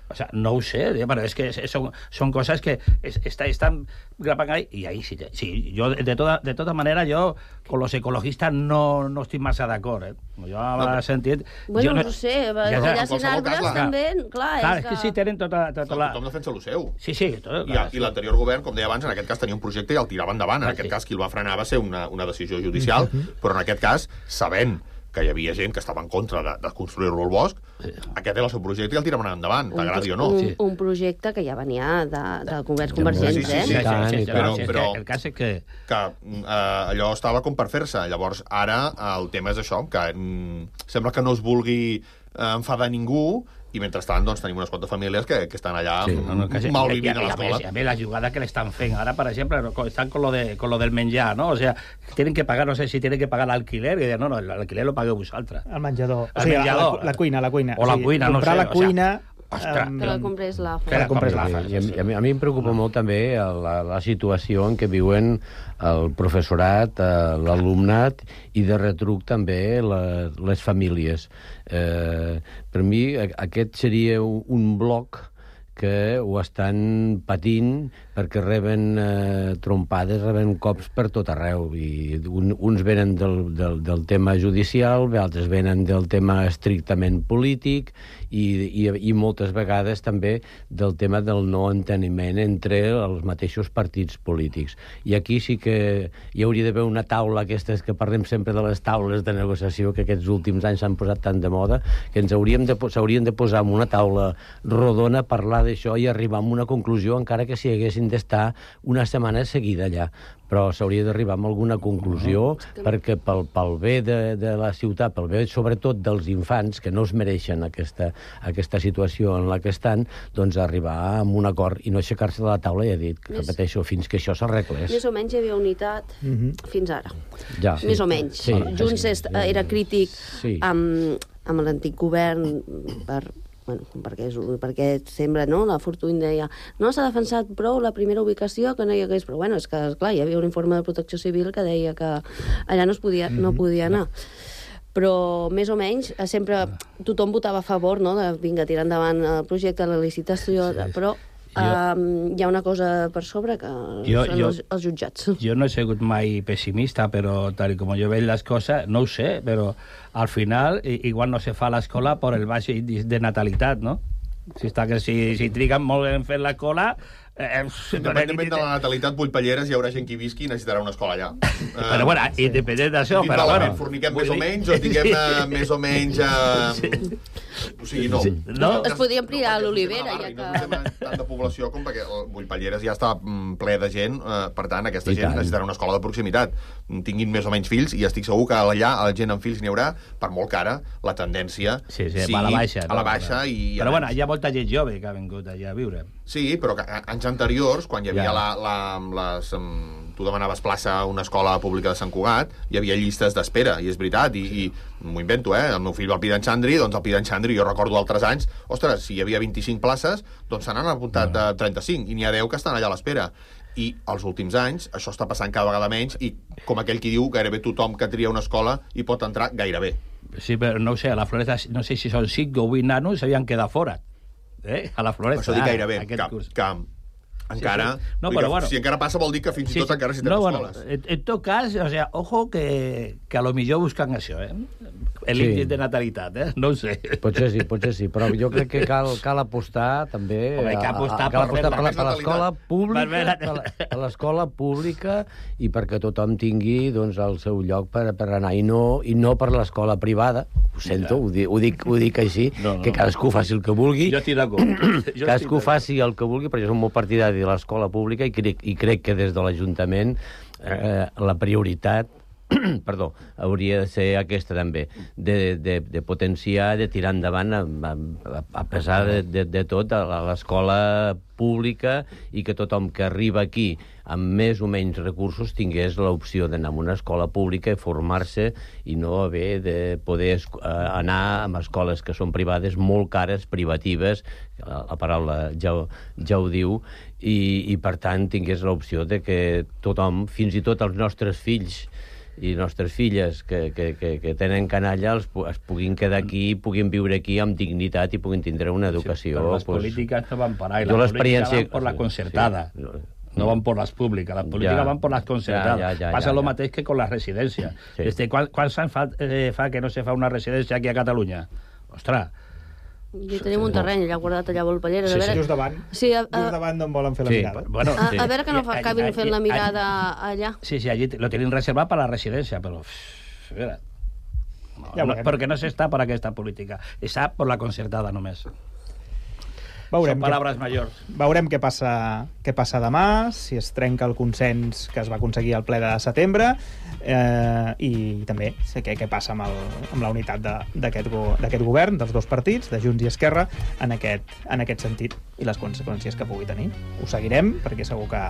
O sea, no ho sé, pero es que son, son cosas que es, está, están grabando ahí, y ahí sí, sí yo de toda, de toda manera yo con los ecologistas no, no estic massa d'acord, eh? Jo m'ha No, sentit... Bueno, jo no, no sé, ja, allà en sent arbres cas, també, clar, clar, és és que... que sí, tenen tota, tota la... Tothom defensa el seu. Sí, sí, tot, I, i l'anterior govern, com deia abans, en aquest cas tenia un projecte i el tirava endavant. En Ah, aquest sí. cas, qui el va frenar va ser una, una decisió judicial, però en aquest cas, sabent que hi havia gent que estava en contra de, de construir-lo al bosc, aquest era el seu projecte i el tiraven endavant, t'agradi o no. Un, un projecte que ja venia de, de governs convergents, sí, sí, eh? sí, sí, sí, sí, però, però, però el cas és que... que eh, allò estava com per fer-se. Llavors, ara el tema és això, que mm, sembla que no es vulgui eh, enfadar ningú i mentrestant doncs, tenim unes quantes famílies que, que estan allà Sí, no, no, que sí. mal Y- y- vivint a y- l'escola. y a ver, la jugada que le están fent ahora, por ejemplo, co- están con lo, de, con lo del menjar, ¿no? O sea, tienen que pagar, no sé si tienen que pagar alquiler, y dicen, no, no, el alquiler lo pagueu vosaltres. El menjador. El o sigui, menjador. La, la cuina, la cuina. O la cuina, no comprar sé, la o sea, cuina... Ostres, em, Que la comprés la Que la compres la I, i, a, mi, a mi em preocupa molt també la, la situació en què viuen el professorat, eh, l'alumnat i de retruc també la, les famílies. Eh, per mi a- aquest seria un, un bloc que ho estan patint perquè reben eh, trompades, reben cops per tot arreu. I un, uns venen del, del, del tema judicial, altres venen del tema estrictament polític i, i, i moltes vegades també del tema del no enteniment entre els mateixos partits polítics. I aquí sí que hi hauria d'haver una taula, aquestes que parlem sempre de les taules de negociació que aquests últims anys s'han posat tan de moda, que ens hauríem de, s'haurien de posar en una taula rodona, parlar d'això i arribar a una conclusió, encara que si haguessin d'estar una setmana seguida allà. Però s'hauria d'arribar a alguna conclusió no, perquè pel, pel bé de, de la ciutat, pel bé sobretot dels infants, que no es mereixen aquesta, aquesta situació en la que estan, doncs arribar a un acord i no aixecar-se de la taula, ja he dit, que repeteixo, fins que això s'arreglés. Més o menys hi havia unitat Mhm. fins ara. Ja. Més o menys. Sí. Junts est- era crític Sí. amb, amb l'antic govern per bueno, perquè, és, perquè sembla, no? La Fortuny deia no s'ha defensat prou la primera ubicació que no hi hagués, però bueno, és que, esclar, hi havia un informe de Protecció Civil que deia que allà no es podia, no podia anar. Però, més o menys, sempre tothom votava a favor, no?, de, vinga, tirar endavant el projecte, la licitació, sí, però um, hi ha una cosa per sobre que Jo- són jo- els, els jutjats. Yo no he sido mai pessimista, pero tal y como yo veo las cosas, no ho sé, pero al final i- igual no se fa l'escola por el baix índice de natalitat, no? Si, està que si, si triguen molt en fer l'escola... Eh, Independentment de la natalitat, Vullpelleres, hi haurà gent que hi visqui i necessitarà una escola allà. Però bueno, independent d'això, però bueno... Forniquem més o menys, o tinguem eh, més o menys... Eh, o sigui, no. no. Es podria ampliar a l'Olivera, ja I que... no és tant de població com perquè el Vullpelleres ja està mm, ple de gent, eh, per tant, aquesta I gent tant. necessitarà una escola de proximitat. Tinguin més o menys fills, i estic segur que allà la gent amb fills n'hi haurà, per molt cara, la tendència Sí, sí, va a la baixa. a la baixa i... Però bueno, hi ha molta gent jove que ha vingut allà a viure. Sí, però que a- anys anteriors, quan hi havia Ja. la, la, les... Um, tu demanaves plaça a una escola pública de Sant Cugat, hi havia llistes d'espera, i és veritat, i, i m'ho invento, eh? El meu fill va al Pidan Xandri, doncs al Pidan Xandri, jo recordo altres anys, ostres, si hi havia vint-i-cinc places, doncs se n'han apuntat no. trenta-cinc, i n'hi ha deu que estan allà a l'espera. I els últims anys això està passant cada vegada menys, i com aquell qui diu, gairebé tothom que tria una escola hi pot entrar gairebé. Sí, però no ho sé, a la Floresta, no sé si són cinc o vuit nanos s'havien quedat fora. Eh? A la Floresta. Això dic gairebé, aquest que, curs. que encara... Sí, sí. No, vull però dir, bueno. Si encara passa vol dir que fins i Sí, tot sí. encara si no, tenen bueno, escoles. en, en tot cas, o sea, ojo que, que a lo millor buscan això, eh? L'índex Sí. de natalitat, eh? No ho sé. Potser sí, potser sí, però jo crec que cal, cal apostar també Home, cal apostar a, a, cal per apostar per, la- més per l'escola natalitat. pública, Per veure- per la- per l'escola pública i perquè tothom tingui doncs, el seu lloc per, per anar i no, i no per l'escola privada. Ho sento, ho, di, ho, dic, ho dic així, No, no. que cadascú faci el que vulgui. Jo estic d'acord. Jo Cadascú estic faci el que vulgui, perquè jo som molt partidari de l'escola pública i crec, i crec que des de l'Ajuntament eh, la prioritat perdó, hauria de ser aquesta també, de, de, de potenciar, de tirar endavant a, a, a pesar de, de, de tot a l'escola pública i que tothom que arriba aquí amb més o menys recursos tingués l'opció d'anar a una escola pública i formar-se i no haver de poder esc- eh, anar a escoles que són privades molt cares, privatives, la, la paraula ja, ho- ja ho diu, i, i per tant tingués l'opció de que tothom, fins i tot els nostres fills i nostres filles que, que, que, que tenen canalla els, pu- es puguin quedar aquí, puguin viure aquí amb dignitat i puguin tindre una educació. Però les pues, políticas no van por ahí, jo las políticas l'experiència- van por la concertada. Sí, no, No van por las públicas, las políticas Ja. van por las concertadas. Ja, ja, ja, Passa ja, lo ja. mateix que con las residencias. Sí. Este, ¿cuál, ¿Cuál anys fa, eh, fa que no se fa una residència aquí a Catalunya? Ostres, I tenim un terreny allà guardat allà a Volpelleres. Sí, a sí, veure... just davant. Sí, a, a, Just davant d'on volen fer la Sí, mirada. bueno, a, sí. a veure que no fa, I- acabin i- fent i- la i- mirada allà. sí, sí, allí lo tienen reservat para la residencia, pero... pff, mira, no, Ja no, veurem. perquè no s'està per aquesta política, està per la concertada només. Veurem Són paraules majors. Veurem què passa, què passa demà, si es trenca el consens que es va aconseguir al ple de setembre, eh, i també sé què, què passa amb, el, amb la unitat d'aquest go, govern, dels dos partits, de Junts i Esquerra, en aquest, en aquest sentit, i les conseqüències que pugui tenir. Ho seguirem, perquè segur que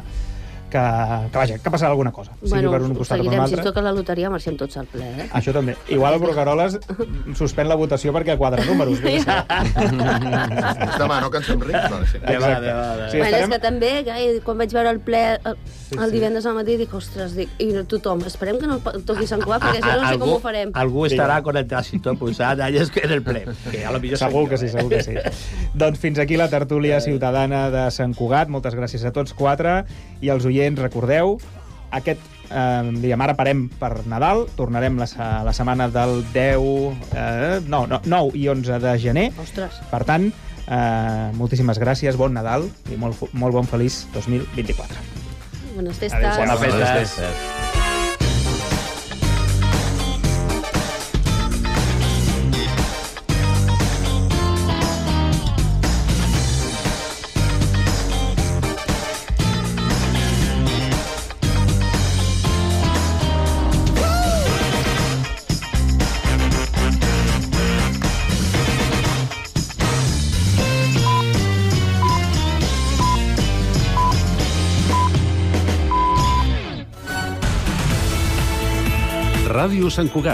que, que, vaja, que passarà alguna cosa. Bueno, per un costat seguirem, o per un si altre. es toca la loteria marxem tots al ple, eh? Això també. Igual el Brugueroles suspèn la votació perquè quadra números. Demà, no, que ens fem rics? No, sí. De va, de va, de va. Sí, bueno, és que també, que quan vaig veure el ple el, sí, el divendres al matí, dic, ostres, dic, i tothom, esperem que no toqui Sant Cugat, perquè si no, no sé com ho farem. Algú estarà con el trànsito pulsat allà en el ple. Que a lo millor segur que sí, segur que sí. Doncs fins aquí la tertúlia ciutadana de Sant Cugat. Moltes gràcies a tots quatre. I als oients, recordeu, aquest, eh, diguem, ara parem per Nadal, tornarem la, la setmana del deu, eh, no, no, nou i onze de gener. Ostres. Per tant, eh, moltíssimes gràcies, bon Nadal i molt, molt bon feliç dos mil vint-i-quatre. Bones festes. Adéu, bones festes. Ràdio Sant Cugat,